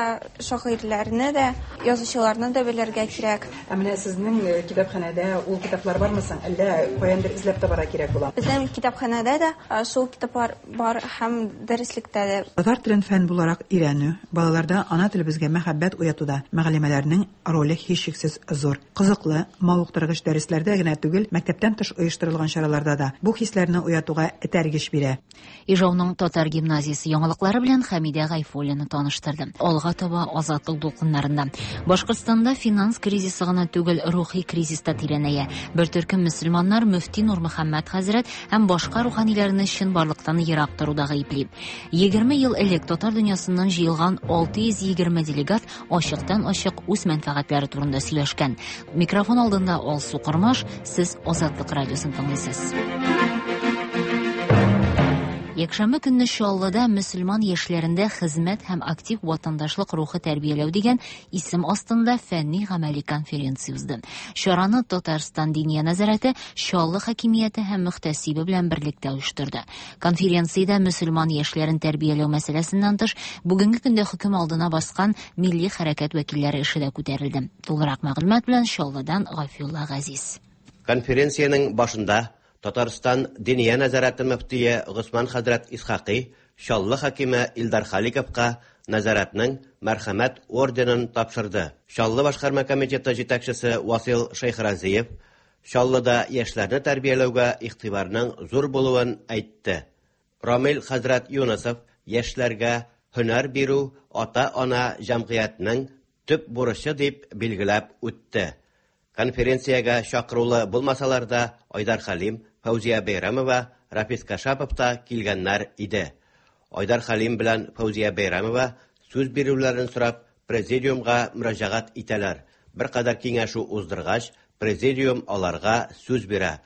шагыйрьләрне дә, язучыларны да белергә кирәк. Ә менә сезнең китапханәдә ул китаплар бармы соң? Әллә каяндыр эзләп табарга кирәк була? Безнең китапханәдә дә шул китаплар бар һәм дәреслектә дә. Татар телен фән буларак өйрәнү, балаларда ана телебезгә мәхәббәт уятуда мөгаллимәләрнең роле һичшиксез зур. Кызыклы, мавыктыргыч дәресләрдә генә түгел, мәктәптән тыш оештырылган чараларда да бу хисләрне уятуга этәргеч бирә. Ижауның татар гимназиясе яңалыклары белән Хәмидә Гайфуллина таныштырды. Алга таба Азатлык дулкыннарында. Башкортстанда финанс кризисы гына түгел, рухи кризис та тирәнәя. Бер төркем мөселманнар мөфти Нурмөхәммәт хәзрәт һәм башка руханиләрне чынбарлыктан ерак торуда гаепли. 20 ел элек татар дөньясыннан җыелган 620 делегат ачыктан-ачык үз мәнфәгатьләре турында сөйләшкән. Микрофон алдында Алсу Кормаш, сез Азатлык радиосын тыңлыйсыз. Якшәмбе көнне Чаллыда мөселман яшьләрендә хезмәт һәм актив ватандашлык рухы тәрбияләү дигән исем астында фәнни-гамәли конференция узды. Чараны Татарстан Диния нәзарәте Чаллы хакимияте һәм мөхтәсибе белән берлектә оештырды. Конференциядә мөселман яшьләрен тәрбияләү мәсьәләсеннән тыш, бүгенге көндә хөкем алдына баскан милли хәрәкәт вәкилләре эше дә күтәрелде. Тулырак мәгълүмат белән Чаллыдан Гафиулла Газиз. Конференциянең башында Татарстан Диния нәзарәте мөфтие Госман хәзрәт Исхакый Чаллы хакиме Илдар Халиковка нәзарәтнең Мәрхәмәт орденын тапшырды. Чаллы башкарма комитеты җитәкчесе Васил Шәйхразиев Чаллыда яшьләрне тәрбияләүгә игътибарның зур булуын әйтте. Рамил хәзрәт Юнысов яшьләргә һөнәр бирү ата-ана җәмгыятьнең төп бурычы дип билгеләп үтте. Конференциягә чакырулы булмасалар да, Айдар Хәлим, Фәүзия Бәйрәмова, Рафис Кашапов та килгәннәр иде. Айдар Хәлим белән Фәүзия Бәйрәмова сүз бирүләрен сорап, президиумга мөрәҗәгать итәләр. Беркадәр киңәшү уздыргач, президиум аларга сүз бирә.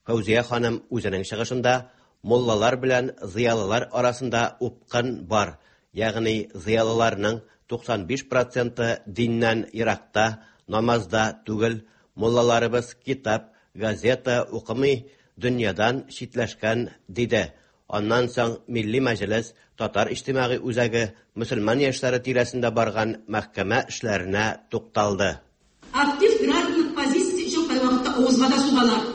Фәүзия ханым үзенең чыгышында муллалар белән зыялылар арасында упкын бар, ягъни зыялыларның 95 проценты диннән еракта, намазда түгел, муллаларыбыз китап, газета укымый, дөньядан читләшкән, диде. Аннан соң Милли Мәҗлес, Татар иҗтимагый үзәге, мөселман яшьләре тирәсендә барган мәхкәмә эшләренә тукталды. Актив гражданлык позициясе өчен кайвакытта авызга да сугалар.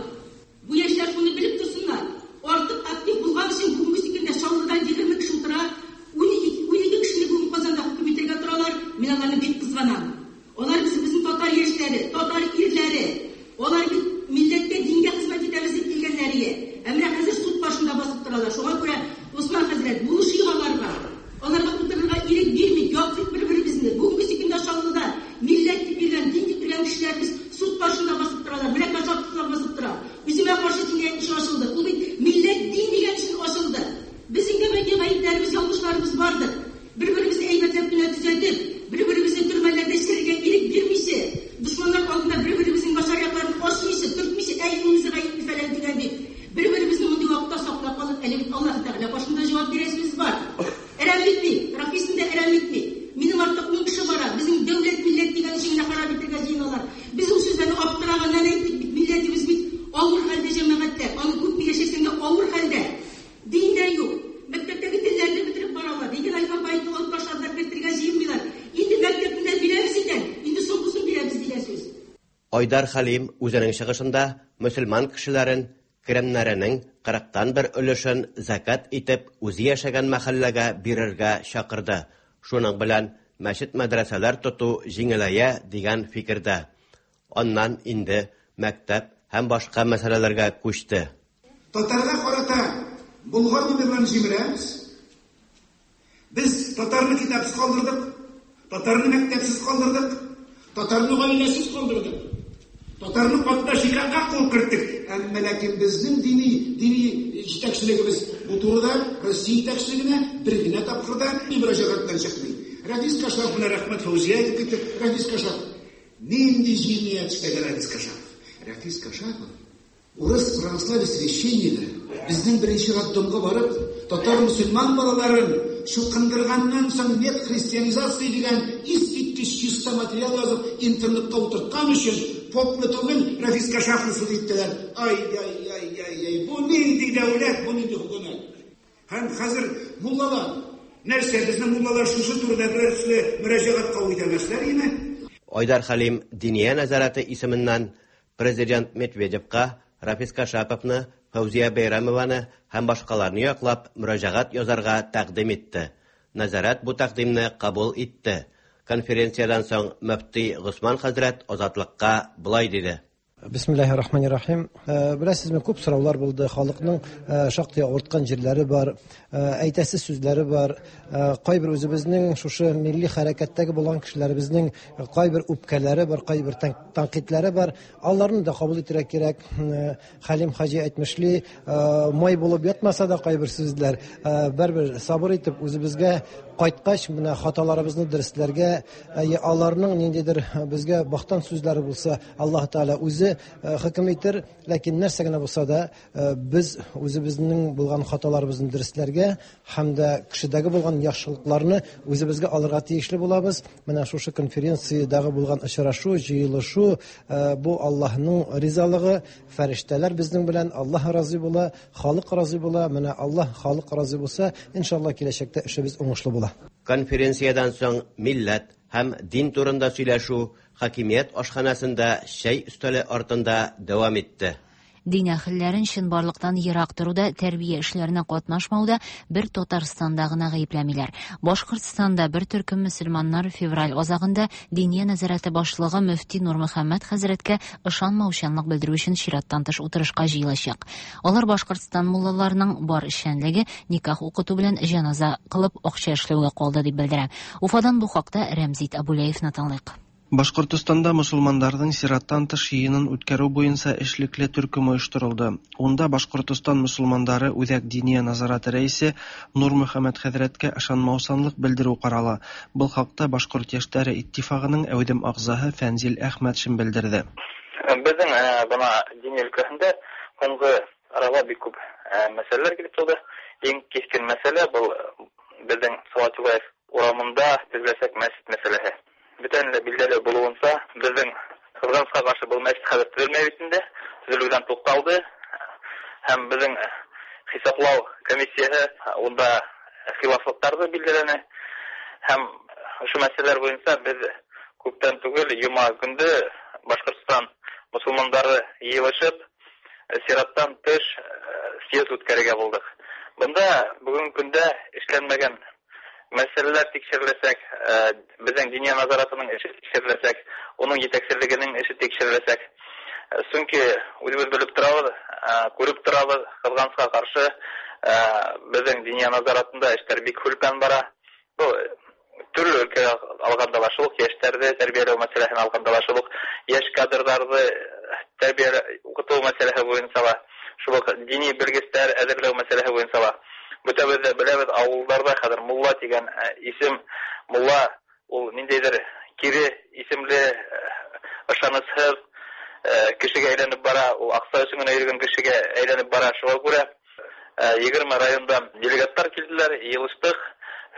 Бу яшьләр шуны белеп торсыннар, артык актив булган өчен бүгенге көндә Чаллыдан 20 кеше утыра, 12 кешене бүген Казанда хөкем итәргә торалар, мин аларны бик кызганам. Алар без безнең татар яшьләре, татар ирләре. Алар бит милләткә, дингә хезмәт итәбез дип килгәннәр ие. Ә менә хәзер суд башында басып торалар. Шуңа күрә, Усман хәзрәт, булышыйк аларга. Аларга утырырга ирек бирмик, яклыйк бер-беребезне. Бүгенге көндә Чаллыда милләт дип йөргән, дин дип йөргән кешеләребез суд каршында басып торалар. Менә Кашаповлар басып тора. Үземә каршы җинаять эше ачылды. Ул бит милләт, дин дигән өчен ачылды. Безнең дә бәлки гаепләребез, ялгышларыбыз бардыр. Бер-беребезне әйбәтләп кенә төзәтеп, бер-беребезне төрмәләрдә черергә ирек бирмичә, дошманнар алдында бер-беребезнең начар якларын ачмыйча, төртмичә, әй, унысы гаепле фәлән төгән дип, бер-беребезне мондый вакытта саклап калып, әле бит Аллаһы Тәгалә каршында җавап бирәсебез бар. Әрәм итми, Рафисны да әрәм итми. Минем артта ун кеше бара, безнең дәүләт, милләт дигән өчен генә харап итәргә җыеналар. Без ул сүзләрне аптыраганнан әйттек бит, милләтебез бит авыр хәлдә җәмәгатьтә, аны күпме яшәсәң дә авыр хәлдә. Дин дә юк. Мәктәптәге телләрне бетереп баралар. Дигән алфавитны алып ташладылар, кертергә җыенмыйлар. Инде мәктәпне дә бирәбез икән, инде соңгысын бирәбез дигән сүз. Айдар Хәлим үзенең чыгышында мөселман кешеләрен керемнәренең кырыктан бер өлешен зәкят итеп үзе яшәгән мәхәлләгә бирергә чакырды. Шуның белән мәчет-мәдрәсәләр тоту җиңеләя дигән фикердә. Аннан инде мәктәп һәм башка мәсьәләләргә күчте. Татарга карата Болгар номерларын җимерәбез. Без татарны китапсыз калдырдык, татарны мәктәпсез калдырдык, татарны гаиләсез калдырдык. Татарны катнаш никахка куып керттек. Әмма ләкин безнең дини дини җитәкчелегебез бу турыда Россия җитәкчелегенә бер генә тапкыр да мөрәҗәгать белән чыкмый. Рәфис Кашапов менә рәхмәт Фәүзия әйтеп китте. Рәфис Кашапов нинди җинаять эшләгән Рәфис Кашапов? Рәфис Кашапов урыс православие священнигы безнең беренче роддомга барып, татар мөселман балаларын чукындырганнан соң нет христианизации дигән искиткеч чиста материал язып интернетка утырткан өчен попны түгел, Рәфис Кашаповны суд иттеләр. Ай-яй-яй-яй-яй, бу нинди дәүләт, бу нинди хөкүмәт? Һәм хәзер муллалар, нәрсә, безнең муллалар шушы турыда берәр төсле мөрәҗәгать кабул итәмәсләр име? Айдар Хәлим Диния нәзарәте исеменнән Президент Медведевка Рафис Кашаповны, Фәүзия Бәйрәмованы һәм башкаларны яклап мөрәҗәгать язарга тәкъдим итте. Нәзарәт бу тәкъдимне кабул итте. Конференциядән соң мөфти Госман хәзрәт Азатлыкка болай диде. Бисмиллаһи рахмани рахим. Беләсезме, күп сораулар булды. Халыкның шактый авырткан җирләре бар, әйтәсе сүзләре бар. Кайбер үзебезнең шушы милли хәрәкәттәге булган кешеләребезнең кайбер үпкәләре бар, кайбер тәнкыйтьләре бар. Аларны да кабул итәргә кирәк. Хәлим хаҗи әйтмешли, май булып ятмаса да кайбер сүзләр, бәрбер сабыр итеп үзебезгә кайткач, менә хаталарыбызны дөресләргә, аларның ниндидер безгә бахтан сүзләре булса, Аллаһ Тәгалә үзе үзе хөкем итер, ләкин нәрсә генә булса да, без үзебезнең булган хаталарыбызны дөресләргә һәм дә кешедәге булган яхшылыкларны үзебезгә алырга тиешле булабыз. Менә шушы конференциядәге булган очрашу, җыелышу, бу Аллаһның ризалыгы, фәрештәләр безнең белән, Аллаһ разый була, халык разый була. Менә Аллаһ, халык разый булса, иншалла, киләчәктә эшебез уңышлы була. Конференциядән соң милләт һәм дин турында сөйләшү хакимият ашханәсендә чәй өстәле артында дәвам итте. Дин әһелләрен чынбарлыктан ерак торуда, тәрбия эшләренә катнашмауда бер Татарстанда гына гаепләмиләр. Башкортстанда бер төркем мөселманнар февраль азагында Диния нәзарәте башлыгы мөфти Нурмөхәммәт хәзрәткә ышанмаучанлык белдерү өчен чираттан тыш утырышка җыелачак. Алар Башкортстан муллаларының бар эшчәнлеге никах укыту белән җеназа кылып акча эшләүгә калды дип белдерә. Уфадан бу хакта Рәмзит Абуләевны тыңлыйк. Башкортостанда мосылмандарның чираттан тыш йыйынын үткәрү буенча эшлекле төркем оештырылды. Унда Башкортостан мосылмандары Үзәк диния назараты рәисе Нурмөхәммәт хәзрәткә ышанмаусанлык белдерү карала. Был хакта Башкорт яшьләре иттифагының әүдем ағзаһы Фәнзил Әхмәтшин белдерде. Безнең бына дин өлкәһендә һуңғы арала бик күп мәсьәләләр килеп туды. Иң кискен мәсьәлә был безнең Салават Юлаев урамында төзеләчәк мәчет мәсьәләһе. Бөтенләй билгеле булуынса, безнең кызганычка каршы был мәчет хәзер төзелмәй бит инде, төзелүдән тукталды. Һәм безнең хисаплау комиссияһы унда хилафлыктарҙы билдәләне. Һәм ошо мәсьәләләр буйынса беҙ күптән түгел йома көндө Башҡортостан мосолмандары йыйылышып сираттан тыш съезд үткәрергә булдыҡ. Бында бөгөнгө көндә эшләнмәгән мәсьәләләр тикшереләсәк, беҙҙең диния назаратының эше тикшереләсәк, уның етәкселегенең эше тикшереләсәк. Сөнки үҙебеҙ белеп торабыҙ, күреп торабыҙ, ҡыҙғанысҡа ҡаршы, беҙҙең диния назаратында эштәр бик һүлпән бара. Был төрлө өлкәгә алғанда ла шул уҡ йәштәрҙе тәрбиәләү мәсьәләһен алғанда ла шул уҡ йәш кадрҙарҙы тәрбиә уҡытыу мәсьәләһе буйынса ла, шул уҡ дини белгестәр әҙерләү мәсьәләһе буйынса ла. Бөтәбеҙ ҙә беләбеҙ, ауылдарҙа хәҙер мулла тигән исем, мулла ул ниндәйҙер кире исемле, ышанысһыҙ кешегә әйләнеп бара, ул аҡса өсөн генә йөрөгән кешегә әйләнеп бара. Шуға күрә 20 райондан делегаттар килделәр, йыйылыштыҡ,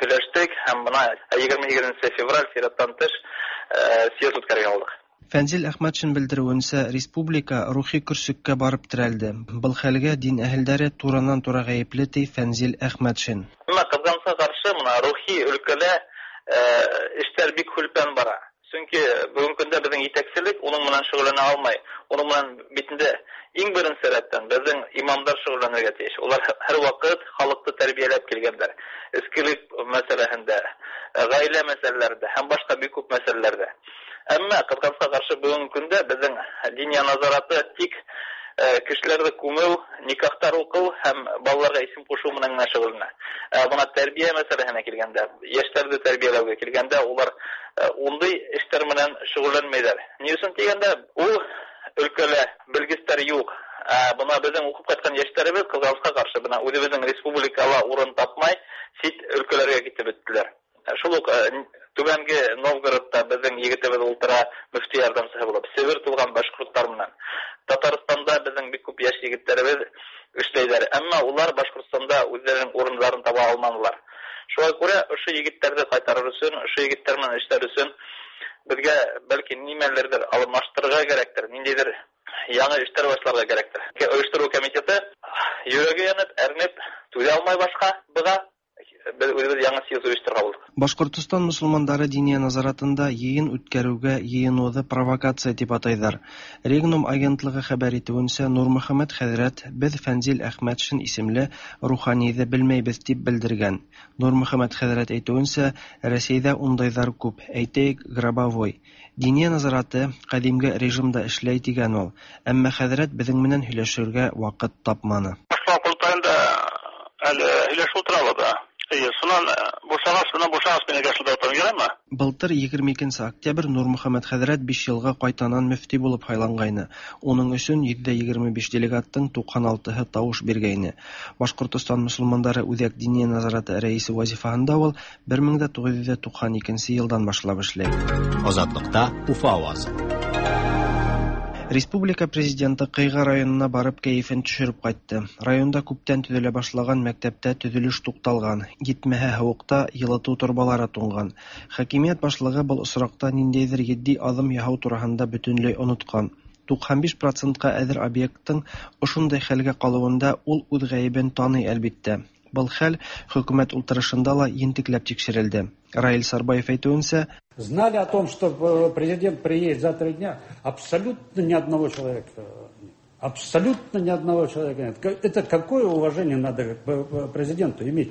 һөйләштек һәм бына 28 февраль сираттан тыш съезд үткәрергә булдыҡ. Фәнзил Әхмәтшин белдереүенсә, республика рухи көрсөккә барып терәлде. Был хәлгә дин әһелдәре туранан-тура ғәйепле, ти Фәнзил Әхмәтшин. Әммә ҡыҙғанысҡа ҡаршы, бына рухи өлкәлә эштәр бик һүлпән бара. Сөнки бөгөнгө көндә беҙҙең етәкселек уның менән шөғөлләнә алмай. Уның менән бит инде иң беренсе рәттән беҙҙең имамдар шөғөлләнергә тейеш. Улар һәр ваҡыт халыҡты тәрбиәләп килгәндәр. Эскелек мәсьәләһендә, ғаилә мәсьәләләрендә һәм башҡа бик күп мәсьәләләрҙә. Әммә ҡыҙғанысҡа ҡаршы бөгөнгө көндә беҙҙең диния назараты тик кешеләрҙе күмеү, никахтар уҡыу һәм балаларға исем ҡушыу менән генә шөғөлләнә. Бына тәрбиә мәсьәләһенә килгәндә, йәштәрҙе тәрбиәләүгә килгәндә, улар ундай эштәр менән шөғөлләнмәйҙәр. Ни өсөн тигәндә, ул өлкәлә белгестәр юҡ. Бына беҙҙең уҡып ҡайтҡан йәштәребеҙ ҡыҙғанысҡа ҡаршы бына үҙебеҙҙең республикала урын тапмай сит өлкәләргә китеп бөттөләр. Шул уҡ Түбәнге Новгородта беҙҙең егетебеҙ ултыра мөфти ярҙамсыһы булып, Себер тулған башҡорттар менән. Татарстанда беҙҙең бик күп йәш егеттәребеҙ эшләйҙәр. Әммә улар Башҡортостанда үҙҙәренең урындарын таба алманылар. Шуға күрә ошо егеттәрҙе ҡайтарыр өсөн, ошо егеттәр менән эшләр өсөн беҙгә бәлки нимәләрҙер алмаштырырға кәрәктер, ниндәйҙер яңы эштәр башларға кәрәктер. Ойоштороу комитеты йөрәге янып, әрнеп, түҙә алмай башҡа быға. Беҙ үҙебеҙ яңы съезд ойошторорға булдыҡ. Башҡортостан мосолмандары диния назаратында йыйын үткәреүгә йыйыныуҙы провокация тип атайҙар. Регнум агентлығы хәбәр итеүенсә, Нурмөхәммәт хәҙрәт беҙ Фәнзил Әхмәтшин исемле руханиҙы белмәйбеҙ тип белдергән. Нурмөхәммәт хәҙрәт әйтеүенсә, Рәсәйҙә ундайҙар күп, әйтәйек, Грабовой. Диния назараты ҡәҙимге режимда эшләй тигән ул. Әммә хәҙрәт беҙҙең менән һөйләшергә ваҡыт тапманы. Башҡа ҡоролтайында әле һөйләшеп ултырабыҙ да. Эйе, шунан бушағас, шунан бушағас мин әгәр шунда ултырам, яраймы? Былтыр 22 октябрь Нурмөхәммәт хәҙрәт 5 йылға ҡайтанан мөфти булып һайланғайны. Уның өсөн 125 делегаттың 96-һы тауыш биргәйне. Башҡортостан мосолмандары Үҙәк диния назараты рәисе вазифаһында ул 1992 йылдан башлап эшләй. Азатлыкта Уфа авазы. Республика Президенты Кыйга районына барып кәефен төшереп кайтты. Районда күптән төзелә башлаган мәктәптә төзелеш тукталган, җитмәһә һавыкта җылыту торбалары туңган. Хакимият башлыгы был очракта ниндәйдер етди адым яһау тураһында бөтенләй оныткан. 95 процентка әзер объекттың ошондай хәлгә калуында ул үз гаебен таный, әлбиттә. Был хәл хөкүмәт утырышында ла ентекләп тикшерелде. Раил Сарбаев әйтүенсә, Знали о том, что президент приедет за 3 дня, абсолютно ни одного человека нет. Абсолютно ни одного человека нет. Это какое уважение надо к президенту иметь?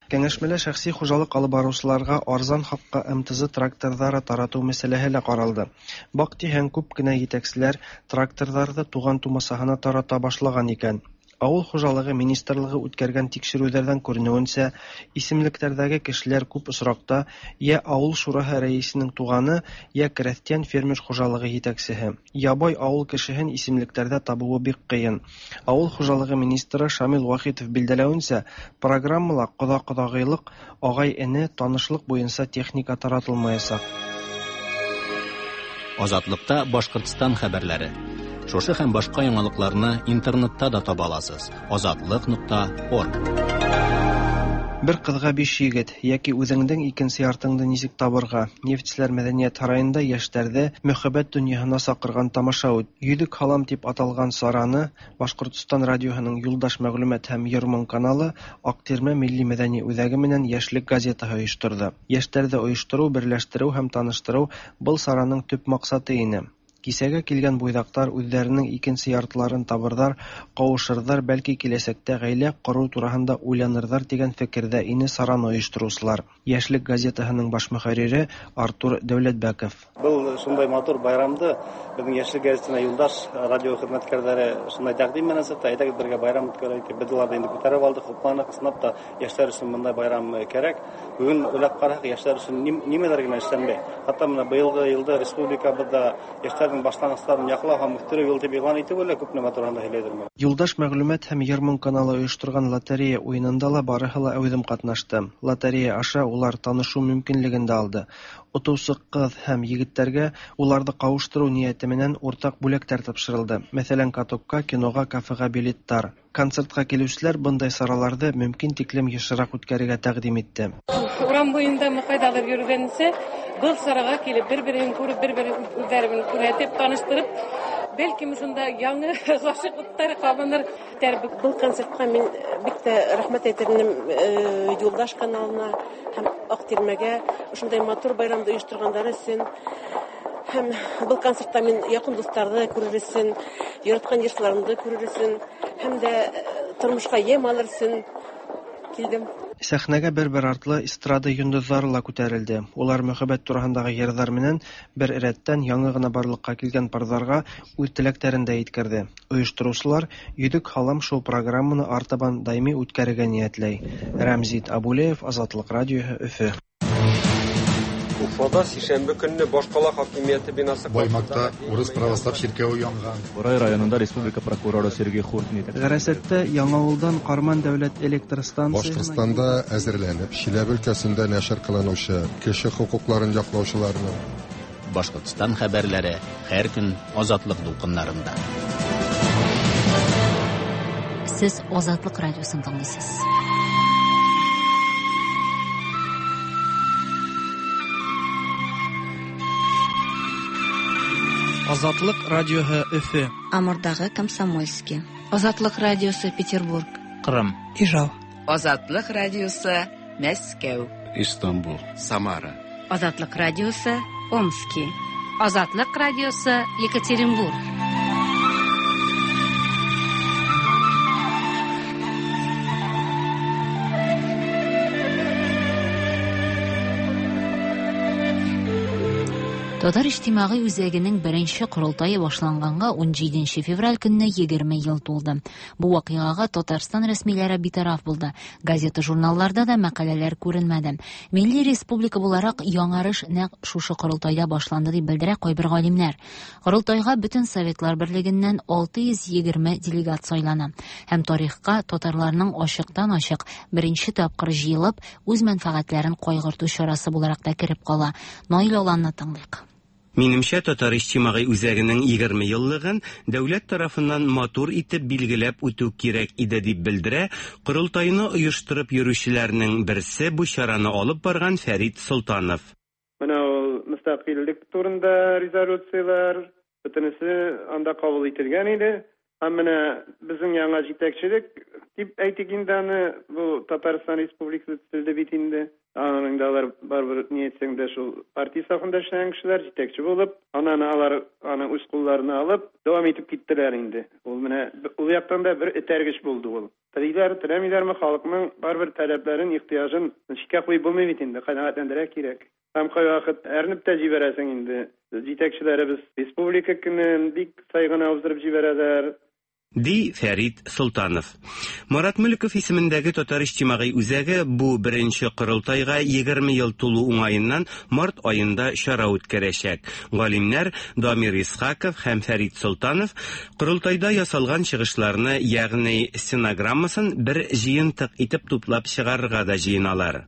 Кәңәшмәлә шәхси хуҗалык алып баручыларга арзан хакка МТЗ тракторлары тарату мәсьәләһе лә каралды. Бактиһәң, күп кенә җитәкчеләр тракторларны туган тумасаһына тарата башлаган икән. Авыл хуҗалыгы министрлыгы үткәргән тикшерүләрдән күренүенчә, исемлекләрдәге кешеләр күп очракта я авыл шурасы рәисенең туганы, я крәстиян фермер хуҗалыгы җитәкчесе. Ябай авыл кешеһен исемлекләрдә табуы бик кыен. Авыл хуҗалыгы министры Шамил Вахитов билдәләвенчә, программала кода-кодагыйлык, агай-эне, танышлык буенча техника таратылмаячак. Азатлыкта Башкортстан хәбәрләре. Шушы һәм башка яңалыкларны интернетта да таба аласыз. Азатлык.орг. Бер кызга биш егет, яки үзеңнең икенче яртыңны ничек табырга? Нефтьчеләр мәдәният сараенда яшьләрне мәхәббәт дөньясына чакырган тамаша үт. Йөзек һалам дип аталган чараны Башкортстан радиоһының Юлдаш мәгълүмат һәм Йормон каналы Актирмә милли мәдәни үзәге менән Яшьлек газетаһы оештырды. Яшьләрне оештыру, берләштерү һәм таныштыру был чараның төп максаты ине. Кисәгә килгән буйдаклар үзләренең икенче яртыларын табырдар, кавышырдар, бәлки киләчәктә гаилә кору турасында уйланырдар дигән фикердә ине чараны оештыручылар. Яшьлек газетаһының баш мөхәррире Артур Дәүләтбәков. Был шундай матур байрамды беҙҙең Йәшлек гәзитенә Юлдаш радио хеҙмәткәрҙәре шундай тәҡдим менән сыҡты. Әйҙәгеҙ бергә байрам үткәрәйек. Беҙ уларҙы инде күтәреп алдыҡ, хупланыҡ. Ысынлап та йәштәр өсөн бындай байрам кәрәк. Бөгөн уйлап ҡараһаҡ, йәштәр өсөн нимәләр генә эшләнмәй. Хатта мына быйылғы йылды республикабыҙҙа йәштәрҙең башланғыстарын яҡлау һәм үҫтереү йылы тип иғлан итеүе лә күп нәмә тураһында һөйләйҙер. Юлдаш мәгълүмат һәм Йормон каналы оештырган лотерея уйынында ла барыһы ла әүҙем ҡатнашты. Лотерея аша улар танышыу мөмкинлеген дә алды. Отоусы ҡыҙ һәм егеттәргә уларҙы ҡауыштырыу ниәте менән уртаҡ бүләктәр тапшырылды. Мәҫәлән, катокка, киноға, кафеға билеттар. Концертҡа килеүселәр бындай сараларҙы мөмкин тиклем йышыраҡ үткәрергә тәҡдим итте. Урам буйында ҡайҙалыр йөрөгәнсә, был сараға килеп, бер-береһен күреп, бер-береһен үҙҙәрен күрһәтеп, таныштырып, бәлкем шунда яңы ғашиҡлыҡтар ҡабыныр. Был концертҡа мин бик тә рәхмәт әйтер инем Юлдаш каналына һәм Аҡтирмәгә ошондай матур байрамды ойошторғандары өсөн. Һәм был концертта мин яҡын дуҫтарҙы күрер өсөн, яратҡан йырсыларымды күрер өсөн һәм дә тормошҡа йәм алыр өсөн килдем. Сәхнәгә бер-бер артлы эстрада йондоҙҙары ла күтәрелде. Улар мөхәббәт тураһындағы йырҙар менән бер рәттән яңы ғына барлыҡҡа килгән парҙарға үҙ теләктәрен дә еткерҙе. Ойоштороусылар Йөҙөк һалам шоу-программаны артабан даими үткәрергә ниәтләй. Рәмзит Абулеев, Азатлык радиоһы, Өфө. Уфада сишәмбе көнне башкала хакимияте бинасы Баймакта урыс православ чиркәве янган. Бурай районында республика прокуроры Сергей Хуртин Ғәрәсәттә Яңауылдан Ҡарман дәүләт электр станцияһына Башкортстанда әзерләнеп, Чиләбе өлкәсендә нәшер кылынучы кеше хокукларын яклаучыларның Башкортстан хәбәрләре һәр көн Азатлык дулкыннарында. Сез Азатлык радиосын тыңлыйсыз. Азатлык радиоһы Өфө. Амурдагы Комсомольский. Азатлык радиосы Петербург. Кырым. Ижау. Азатлык радиосы Мәскәү. Истанбул. Самара. Азатлык радиосы Омски. Азатлык радиосы Екатеринбург. Татар иҗтимагый үзәгенең беренче корылтае башланганга 17 февраль көнне 20 ел тулды. Бу вакыйгага Татарстан рәсмиләре битараф булды. Газета-журналларда да мәкаләләр күренмәде. Милли республика буларак яңарыш нәкъ шушы корылтайда башланды дип белдерә кайбер галимнәр. Корылтайга бөтен Советлар Берлегеннән 620 делегат сайлана. Һәм тарихка татарларның ачыктан-ачык беренче тапкыр җыелып, үз мәнфәгатьләрен кайгырту чарасы буларак та кереп кала. Наил Аланны тыңлыйк. Минемчә, Татар иҗтимагый үзәгенең 20 еллыгын дәүләт тарафыннан матур итеп билгеләп үтү кирәк иде, дип белдерә корылтайны оештырып йөрүчеләрнең берсе, бу чараны алып барган Фәрит Солтанов. Менә ул мөстәкыйльлек турында резолюцияләр, бөтенесе анда кабул ителгән иде. Һәм менә безнең яңа җитәкчелек дип әйтик инде аны, бу Татарстан Республикасы төзелде бит инде. Аның да алар барыбер ни әйтсәң дә шул партия сафында эшләгән кешеләр, җитәкче булып, аннан алар аны үз кулларына алып, дәвам итеп киттеләр инде. Ул менә ул яктан да бер этәргеч булды ул. Телиләр, теләмиләрме, халыкның барыбер таләпләрен, ихтыяҗын читкә куеп булмый бит инде, канәгатьләндерә кирәк. Һәм кайвакыт әрнеп тә җибәрәсең инде. Җитәкчеләребез Республика көнен бик сай гына уздырып җибәрәләр. Ди Фәрит Солтанов. Марат Мөлеков исемендәге Татар иҗтимагый үзәге бу беренче корылтайга 20 ел тулу уңаеннан март аенда чара үткәрәчәк. Галимнәр Дамир Исхаков һәм Фәрит Солтанов корылтайда ясалган чыгышларны, ягъни стенограммасын бер җыентык итеп туплап чыгарырга да җыеналар.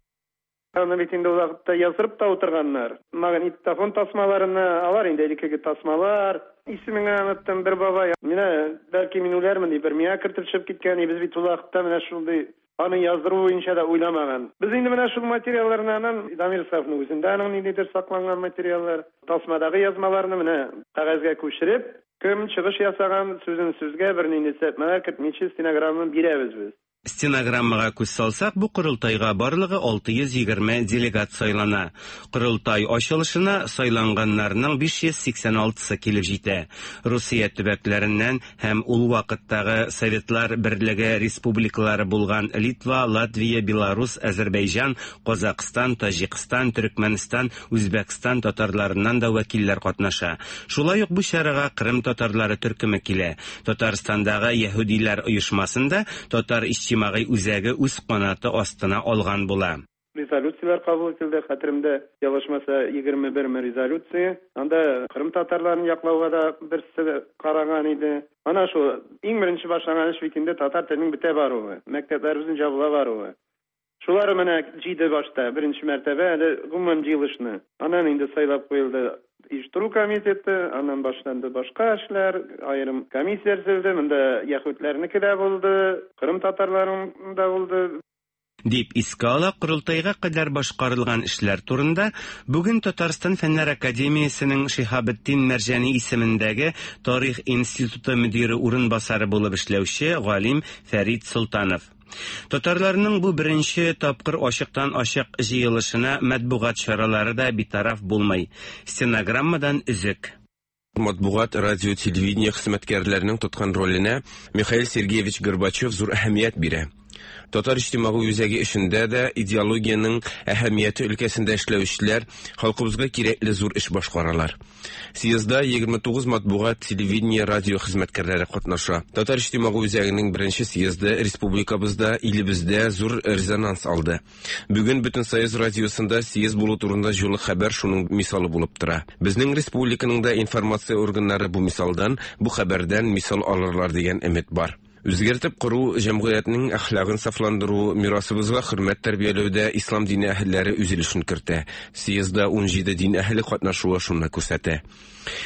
Аны бит инде ул вакытта яздырып та утырганнар. Магнитофон тасмаларына, алар инде элеккеге тасмалар. Исемен генә оныттым, бер бабай, менә бәлки мин үләрмен дип, бер миңа кертеп чыгып киткән, и без бит ул вакытта менә шундый аны яздыру буенча да уйламаган. Без инде менә шул материалларны аннан Дамир Исхаковның үзендә аның ниндидер сакланган материаллар, тасмадагы язмаларны менә кәгазьгә күчереп, кем чыгыш ясаган, сүзен сүзгә бернинди төзәтмәләр кертмичә стенограмманы бирәбез без. Стенограммага күз салсак, бу корылтайга барлыгы 620 делегат сайлана. Корылтай ачылышына сайланганнарның 586-сы килеп җитә. Русия төбәкләреннән һәм ул вакыттагы Советлар Берлеге республикалары булган Литва, Латвия, Беларус, Әзербәйҗан, Казакъстан, Таҗикстан, Төрекмәнстан, Үзбәкстан татарларыннан да вәкилләр катнаша. Шулай ук бу чарага Кырым татарлары төркеме килә. Татарстандагы яһүдиләр оешмасын да Татар иҗтимагый үзәге үз канаты астына алган була. Резолюцияләр кабул ителде, хәтеремдә ялгышмаса, 21 ме резолюция. Анда Кырым татарларын яклауга да берсе караган иде. Ана шул иң беренче башланган эш бит инде татар теленең бетә баруы, мәктәпләребезнең җабыла баруы. Шулар менә җыйды башта, беренче мәртәбә әле гомумән җыелышны. Аннан инде сайлап куелды оештыру комитеты, аннан башланды башка эшләр, аерым комиссия төзелде, монда яһүдләрнеке дә булды, кырым татарларының да булды. Дип искә ала корылтайга кадәр башкарылган эшләр турында бүген Татарстан Фәннәр академиясенең Шиһабетдин Мәрҗани исемендәге Тарих институты мөдире урынбасары булып эшләүче галим Фәрит Солтанов. Татарларның бу беренче тапкыр ачыктан-ачык җыелышына матбугат чаралары да битараф булмый. Стенограммадан өзек. Матбугат, радио, телевидение хезмәткәрләренең тоткан роленә Михаил Сергеевич Горбачев зур әһәмият бирә. Татар иҗтимагый үзәге эшендә дә идеологиянең әһәмияте өлкәсендә эшләүчеләр халкыбызга кирәкле зур эш башкаралар. Съездда 29 матбугат, телевидение, радио хезмәткәрләре катнаша. Татар иҗтимагый үзәгенең беренче съезды республикабызда, илебездә зур резонанс алды. Бүген Бөтенсоюз радиосында съезд булу турында җылы хәбәр шуның мисалы булып тора. Безнең республиканың да информация органнары бу мисалдан, бу хәбәрдән мисал алырлар дигән өмет бар. Үзгәртеп кору, җәмгыятьнең әхлагын сафландыру, мирасыбызга хөрмәт тәрбияләүдә ислам дине әһелләре үз өлешен кертә. Съездда 17 дин әһеле катнашуы шуны күрсәтә.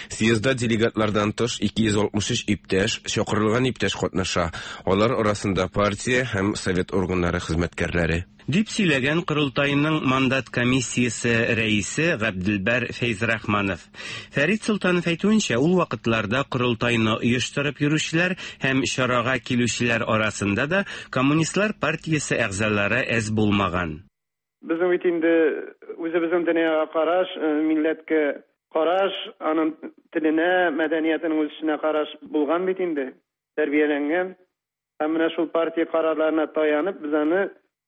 Съездда делегатлардан тыш 263 иптәш, чакырылган иптәш катнаша. Алар арасында партия һәм совет органнары хезмәткәрләре. Дип сөйләгән корылтайның мандат комиссиясе рәисе Габделбәр Фәйзрахманов. Фәрит Солтанов әйтүенчә, ул вакытларда корылтайны оештырып йөрүчеләр һәм чарага килүчеләр арасында да Коммунистлар партиясе әгъзалары әз булмаган. Безнең бит инде үзебезнең дөньяга караш, милләткә караш, аның теленә, мәдәниятенең үсешенә караш булган бит инде, тәрбияләнгән. Һәм менә шул партия карарларына таянып, без аны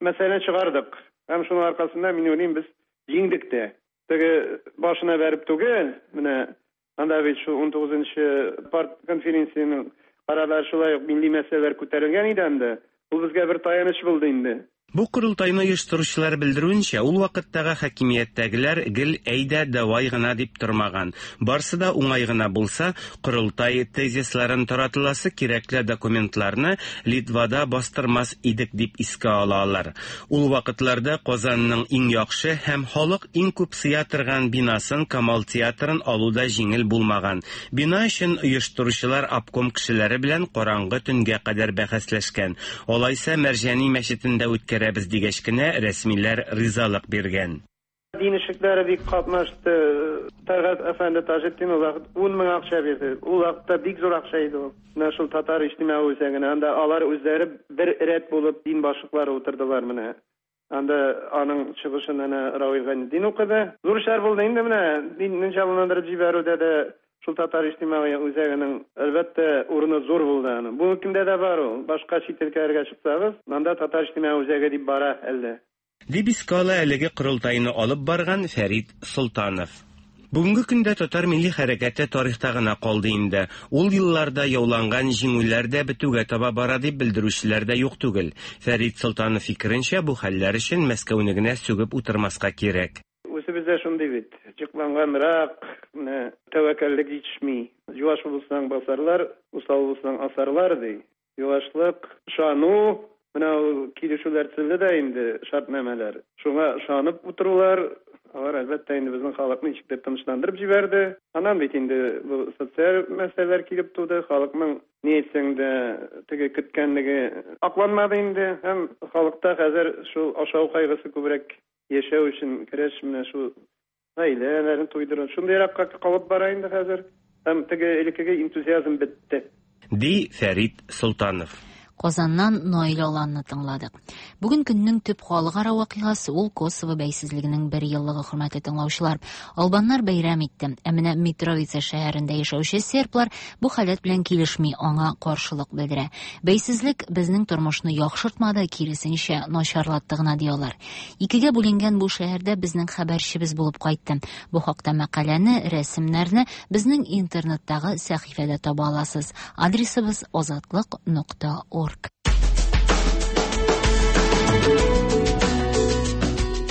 мәсьәләне чыгардык. Һәм шуның аркасында, мин уйлыйм, без җиңдек тә. Теге башына бәреп түгел, менә анда бит шул унтугызынчы партконференциянең карарлары шулай ук милли мәсьәләләр күтәрелгән иде анда. Ул безгә бер таяныч булды инде. Бу корылтайны оештыручылар белдерүенчә, ул вакыттагы хакимияттәгеләр гел әйдә, давай гына дип тормаган. Барсы да уңай гына булса, корылтай тезисларын таратыласы кирәкле документларны Литвада бастырмас идек дип искә ала алар. Ул вакытларда Казанның иң яхшы һәм халык иң күп сыя торган бинасын Камал театрын алу да җиңел булмаган. Бина өчен оештыручылар обком кешеләре белән караңгы төнгә кадәр бәхәсләшкән. Алайса Мәрҗани мәчетендә үткәрәбез дигәч кенә рәсмиләр ризалык биргән. Дин эшлекләре бик катнашты. Тәлгать әфәнде Таҗетдин ул вакыт 10 мең акча бирде. Ул вакытта бик зур акча иде ул. Менә шул татар иҗтимагый үзәгенә. Анда алар үзләре бер рәт булып дин башлыклары утырдылар менә. Анда аның чыгышын әнә Равил Гайнетдин укыды. Зур эшләр булды инде менә динне җанландырып җибәрүдә дә шул татар иҗтимагый үзәгенең әлбәттә урыны зур булды аның. Бүгенге көндә дә бар ул. Башка чит өлкәләргә чыксагыз, анда татар иҗтимагый үзәге дип бара әле. Дип искә ала әлеге корылтайны алып барган Фәрит Солтанов. Бүгенге көндә татар милли хәрәкәте тарихта гына калды инде. Ул елларда яуланган җиңүләр дә бетүгә таба бара дип белдерүчеләр дә юк түгел. Фәрит Солтанов фикеренчә, бу хәлләр өчен Мәскәүне генә сүгеп утырмаска кирәк. Үзебез дә шундый бит, җыкланганрак, менә тәвәккәллек җитешми. Юаш булсаң басарлар, усал булсаң асарлар, ди. Юашлык, ышану, менә ул килешүләр төзелде дә инде, шартнамәләр. Шуңа ышанып утырулар, алар, әлбәттә, инде безнең халыкны ничектер тынычландырып җибәрде. Аннан бит инде бу социаль мәсьәләләр килеп туды, халыкның, ни әйтсәң дә, теге көткәнлеге акланмады инде. Һәм халыкта хәзер шул ашау кайгысы күбрәк, яшәү өчен көрәш менә шул Гаиләләрен туйдыру. Шундыйракка калып бара инде хәзер. Һәм теге элеккеге энтузиазм бетте. Ди Фәрит Солтанов. Казаннан Наил Аланны тыңладык. Бүген көннең төп халыкара вакыйгасы ул Косово бәйсезлегенең бер еллыгы, хөрмәтле тыңлаучылар. Албаннар бәйрәм итте. Ә менә Митровица шәһәрендә яшәүче серблар бу халәт белән килешми, аңа каршылык белдерә. Бәйсезлек безнең тормышны яхшыртмады, киресенчә, начарлатты гына, ди алар. Икегә бүленгән бу шәһәрдә безнең хәбәрчебез булып кайтты. Бу хакта мәкаләне, рәсемнәрне безнең интернеттагы сәхифәдә таба аласыз. Адресыбыз азатлык нокта орг.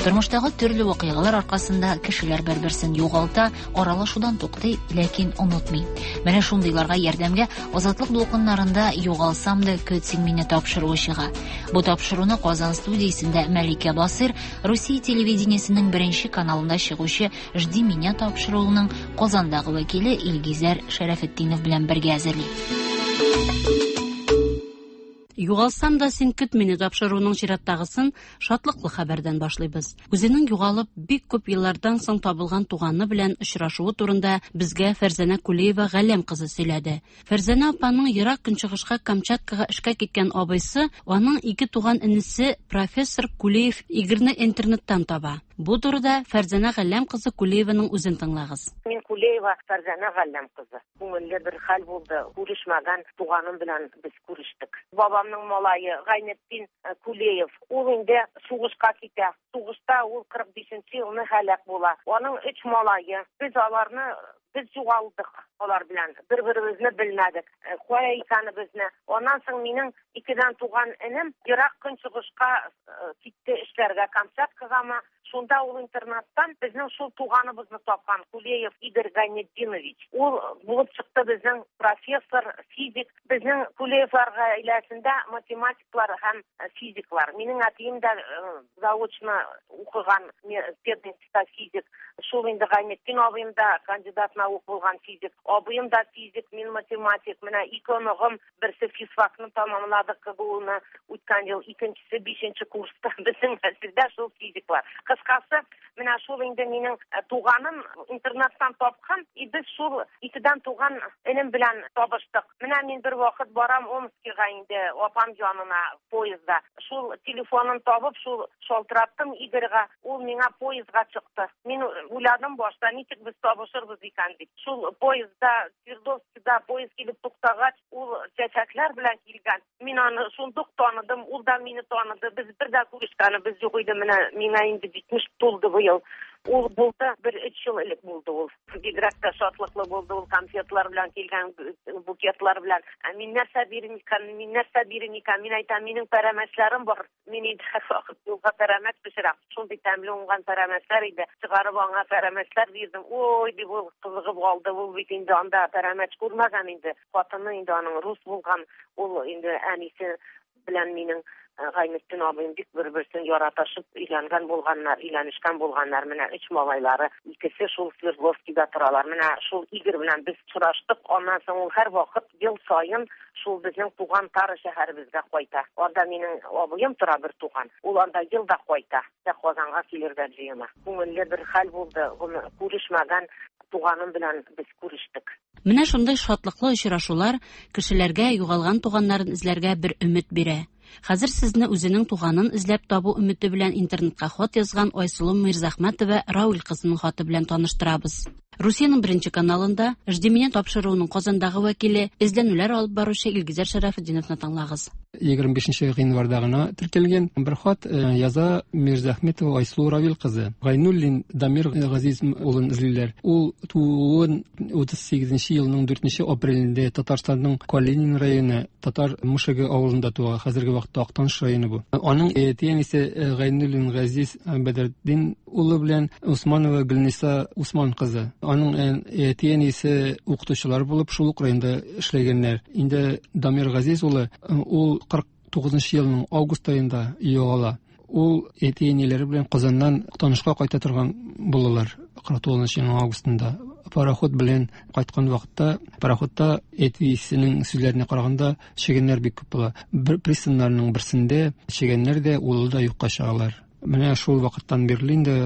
Тормыштагы төрле вакыйгалар аркасында кешеләр бер-берсен югалта, аралашудан туктый, ләкин онытмый. Менә шундыйларга ярдәмгә Азатлык дулкыннарында Югалсам да көт син мине тапшыруы чыга. Бу тапшыруны Казан студиясендә Мәликә Басыйр Русия телевидениесенең беренче каналында чыгучы Жди меня тапшыруының Казандагы вәкиле Илгизәр Шәрәфетдинов белән бергә әзерли. Югалсам да син көт мине тапшыруының чираттагысын шатлыклы хәбәрдән башлыйбыз. Үзенең югалып, бик күп еллардан соң табылган туганы белән очрашуы турында безгә Фәрзәнә Кулиева Галләм кызы сөйләде. Фәрзәнә апаның Ерак Көнчыгышка Камчаткага эшкә киткән абыйсы, аның ике туган энесе профессор Кулиев Игорьны интернеттан таба. Бу турыда Фәрзәнә Галләм кызы Кулиеваның үзен тыңлагыз. Мин Кулеева Фәрзәнә Галләм кызы. Күңелле бер хәл булды, күрешмәгән туганым белән без күрештек. Бабамның малае Гайнетдин Кулеев, ул инде сугышка китә. Сугышта ул 45 нче елны һәлак була. Аның өч малае. Без аларны Без югалдык алар белән, бер-беребезне белмәдек, кая икәнебезне. Аннан соң минем икедән туган энем Ерак Көнчыгышка китте эшләргә, Камчаткагамы. Шунда ул интернаттан безнең шул туганыбызны тапкан, Кулеев Игорь Гайнетдинович. Ул булып чыкты безнең профессор, физик. Безнең Кулеевлар гаиләсендә математиклар һәм физиклар. Минем әтием дә заочно укыган пединститутта физик. Шул инде Гайнетдин абыем да кандидат наук булган физик. Абыем да физик, мин математик. Менә ике оныгым, берсе физфакны тәмамлады КГУны үткән ел, икенчесе бишенче курста. Безнең нәселдә шул физиклар. Кыскасы, менә шул инде минем туганым интернаттан тапкан, и без шул икедән туган энем белән табыштык. Менә мин бер вакыт барам Омскига инде апам янына поездда. Шул телефонын табып, шул шалтыраттым Игорьга, ул миңа поездга чыкты. Мин уйладым башта, ничек без табышырбыз икән дип. Шул поездда, Свердловскида поезд килеп туктагач, ул чәчәкләр белән килгән. Мин аны шундук таныдым, ул да мине таныды. Без бер дә күрешкәнебез юк иде. Менә миңа инде 70 тулды быел. ел. Ул булды, бер өч ел элек булды ул. Бигрәк тә шатлыклы булды ул, конфетлар белән килгән, букетлар белән. Ә мин нәрсә бирим икән, мин нәрсә бирим икән? Мин әйтәм, минем пәрәмәчләрем бар. Мин инде һәрвакыт юлга пәрәмәч пешерәм. Шундый тәмле уңган пәрәмәчләр иде. Чыгарып аңа пәрәмәчләр бирдем. Ой, дип ул кызыгып алды. Ул бит инде анда пәрәмәч күрмәгән инде. Хатыны инде аның рус булган. Ул инде әнисе белән минем Гайнетдин абыем бик бер-берсен яратышып өйләнгән булганнар, өйләнешкән булганнар. Менә өч малайлары, икесе шул Свердловскида торалар. Менә шул Игорь белән без очраштык. Аннан соң ул һәрвакыт ел саен шул безнең туган Тара шәһәребезгә кайта. Анда минем абыем тора бер туган. Ул анда ел да кайта. Дә Казанга килергә җыена. Күңелле бер хәл булды. Күрешмәгән туганым белән без күрештек. Менә шундый шатлыклы очрашулар кешеләргә югалган туганнарын эзләргә бер өмет бирә. Хәзер сезне үзенең туганын эзләп табу өмете белән интернетка хат язган Айсылу Мирзахмәтова Рауль кызының хаты белән таныштырабыз. Русиянең беренче каналында Жди меня тапшыруының Казандагы вәкиле, эзләнүләр алып баручы Илгизәр Шәрәфетдиновны тыңлагыз. 25 гыйнварда гына теркәлгән бер хат э, яза Мирзахметова Айсылу Равил кызы. Гайнуллин Дамир Газиз улын эзлиләр. Ул тууын 38 елның 4 апрелендә Татарстанның Калинин районы Татар Мушеге авылында туа. Хәзерге вакытта Актаныш районы бу. Аның әти-әнисе э, Гайнуллин Газиз Бәдретдин улы белән Усманова Гөлниса Усман кызы. Аның әти-әнисе укытучылар булып шул ук районда эшләгәннәр. Инде Дамир Газиз улы ул 49 елның август аенда югала. Ул әти-әниләре белән Казаннан Актанышка кайта торган булалар 49 елның августында. Пароход белән кайткан вакытта пароходта әтисенең сүзләренә караганда чегәннәр бик күп була. Бер пристаннарның берсендә чегәннәр дә улы да юкка чыгалар. Менә шул вакыттан бирле инде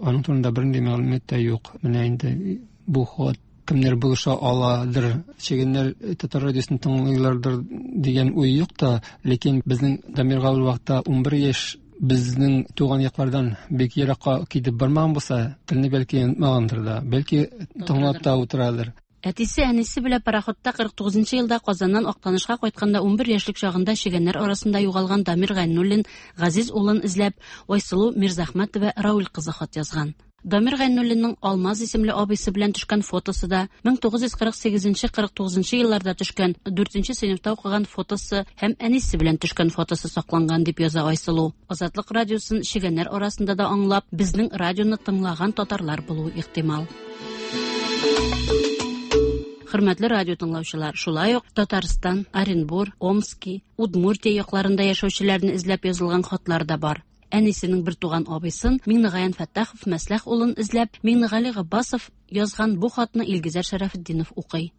аның турында бернинди мәгълүмат та юк. Менә инде бу хат кемнәр булыша аладыр, чегәннәр татар радиосын тыңлыйлардыр дигән уй юк та, ләкин безнең Дамирга ул вакытта 11 яшь безнең туган яклардан бик еракка китеп бармаган булса, телне бәлки онытмагандыр да, бәлки тыңлап та утырадыр. Әтисе әнисе белән пароходта 49 нчы елда Казаннан Актанышка кайтканда 11 яшьлек чагында чегәннәр арасында югалган Дамир Гайнуллин газиз улын эзләп, Айсылу Мирзахмәтова Рауль кызы хат язган. Дамир Гайнуллинның Алмаз исемле абыйсы белән төшкән фотосы да, 1948-49 елларда төшкән, 4 сыйныфта укыган фотосы һәм әнисе белән төшкән фотосы сакланган, дип яза Айсылу. Азатлык радиосын чегәннәр арасында да аңлап, безнең радионы тыңлаган татарлар булуы ихтимал. Хөрмәтле радио тыңлаучылар, шулай ук Татарстан, Оренбур, Омски, Удмуртия якларында яшәүчеләрне эзләп язылган хатлар да бар. Әнисенең бертуган абыйсын Миңнегаян Фәттахов Мәсләх улын эзләп, Миңнегали Габбасов язган бу хатны Илгизәр Шәрәфетдинов укый.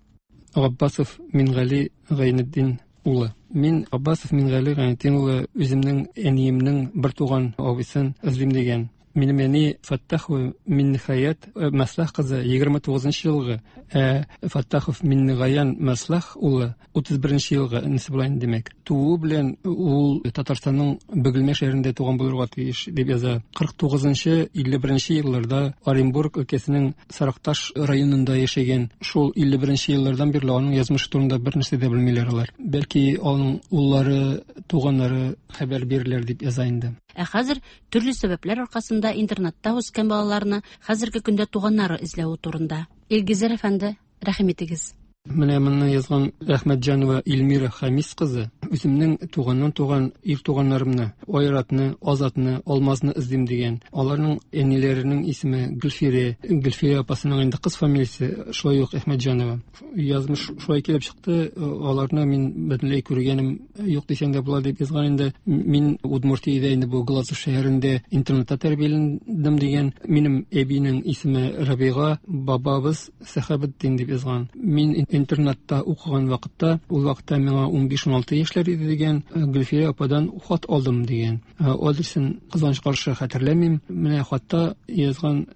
Габбасов Мингали Гайнетдин улы. Мин Габбасов Мингали Гайнетдин улы үземнең әниемнең бертуган абыйсын эзлим дигән. Минем әни Фәттахова Миннехаят э, Мәслах кызы 29 елгы, ә Фәттахов Миннегаян Мәслах улы 31 елгы энесе була инде димәк. Тууы белән ул Татарстанның Бөгелмә шәһәрендә туган булырга тиеш дип яза. 49-51 елларда Оренбург өлкәсенең Саракташ районында яшәгән. Шул 51 еллардан бирле аның язмышы турында бер нәрсә дә белмиләр алар. Бәлки аның уллары, туганнары хәбәр бирерләр дип яза инде. Ә хәзер төрле сәбәпләр аркасында интернатта үскән балаларны хәзерге көндә туганнары эзләве турында. Илгизәр әфәнде, рәхим итегез. Менә моны язган Әхмәтҗанова Эльмира Хамис кызы. Үземнең туганнан туган ир туганнарымны, Айратны, Азатны, Алмазны эзлим дигән. Аларның әниләренең исеме Гөлфирә. Гөлфирә апасының инде кыз фамилиясе шулай ук Әхмәтҗанова. Язмыш шулай килеп чыкты, аларны мин бөтенләй күргәнем юк дисәң дә була дип язган инде. Мин Удмуртиядә инде бу Глазов шәһәрендә интернатта тәрбияләндем дигән. Минем әбинең исеме Рабига, бабабыз Сәхабетдин дип язган. Мин интернатта укыган вакытта, ул вакытта миңа 15-16 яшьләр иде дигән, Гөлфия ападан хат алдым дигән. Адресын кызганыч каршы хәтерләмим. Менә хатта язган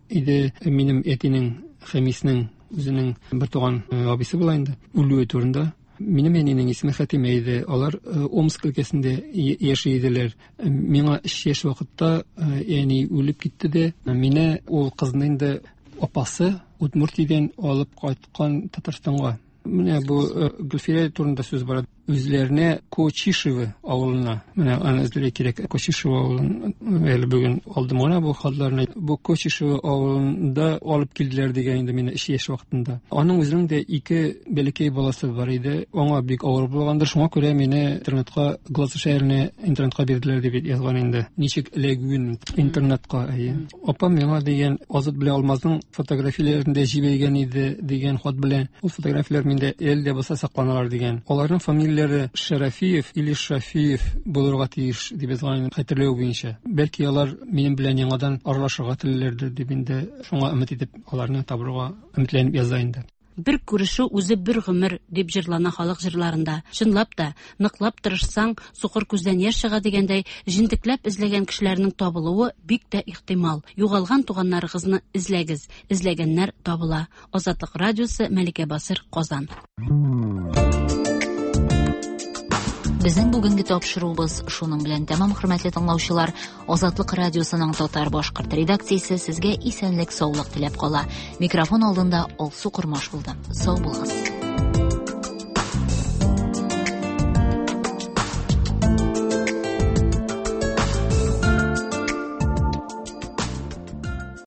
иде минем әтинең Хәмиснең үзенең бертуган абыйсы була инде, үлүе турында. Минем әнинең исеме Хәтимә иде. Алар э, Омск өлкәсендә яши иделәр. Э, миңа өч яшь вакытта э, әни үлеп китте дә, мине ул кызны инде апасы Удмуртиядән алып кайткан Татарстанга. Менә бу Гөлфирә турында сүз бара. Үзләренә Кочишево авылына. Менә аны эзләргә кирәк. Кочишево авылын әле бүген алдым гына бу хатларны. Бу Кочишево авылында алып килделәр дигән инде мине өч яшь вакытында. Аның үзенең дә ике бәләкәй баласы бар иде. Аңа бик авыр булгандыр. Шуңа күрә мине интернатка, Глазо шәһәренә интернатка бирделәр дип язган инде. Ничек эләгүен интернатка, әйе. Апам миңа дигән Азат белән Алмазның фотографияләрен дә җибәргән иде дигән хат белән. Ул фотографияләр миндә әле дә булса сакланалар дигән. Аларның фамилияләре Шәрәфиев или Шафиев булырга тиеш дип язган хәтерләү буенча. Бәлки алар минем белән яңадан аралашырга телиләрдер дип инде шуңа өмет итеп аларны табырга өметләнеп яза инде. Бер күрешү үзе бер гомер, дип җырлана халык җырларында. Чынлап та, ныклап тырышсаң, сукыр күздән яшь чыга дигәндәй, җентекләп эзләгән кешеләрнең табылуы бик тә ихтимал. Югалган туганнарыгызны эзләгез, эзләгәннәр табыла. Азатлык радиосы, Мәликә Басыр, Казан. Безнең бүгенге тапшыруыбыз шуның белән тәмам, хөрмәтле тыңлаучылар. Азатлык радиосының татар башкорт редакциясе сезгә исәнлек, саулык теләп кала. Микрофон алдында Алсу Кормаш булды. Сау булыгыз.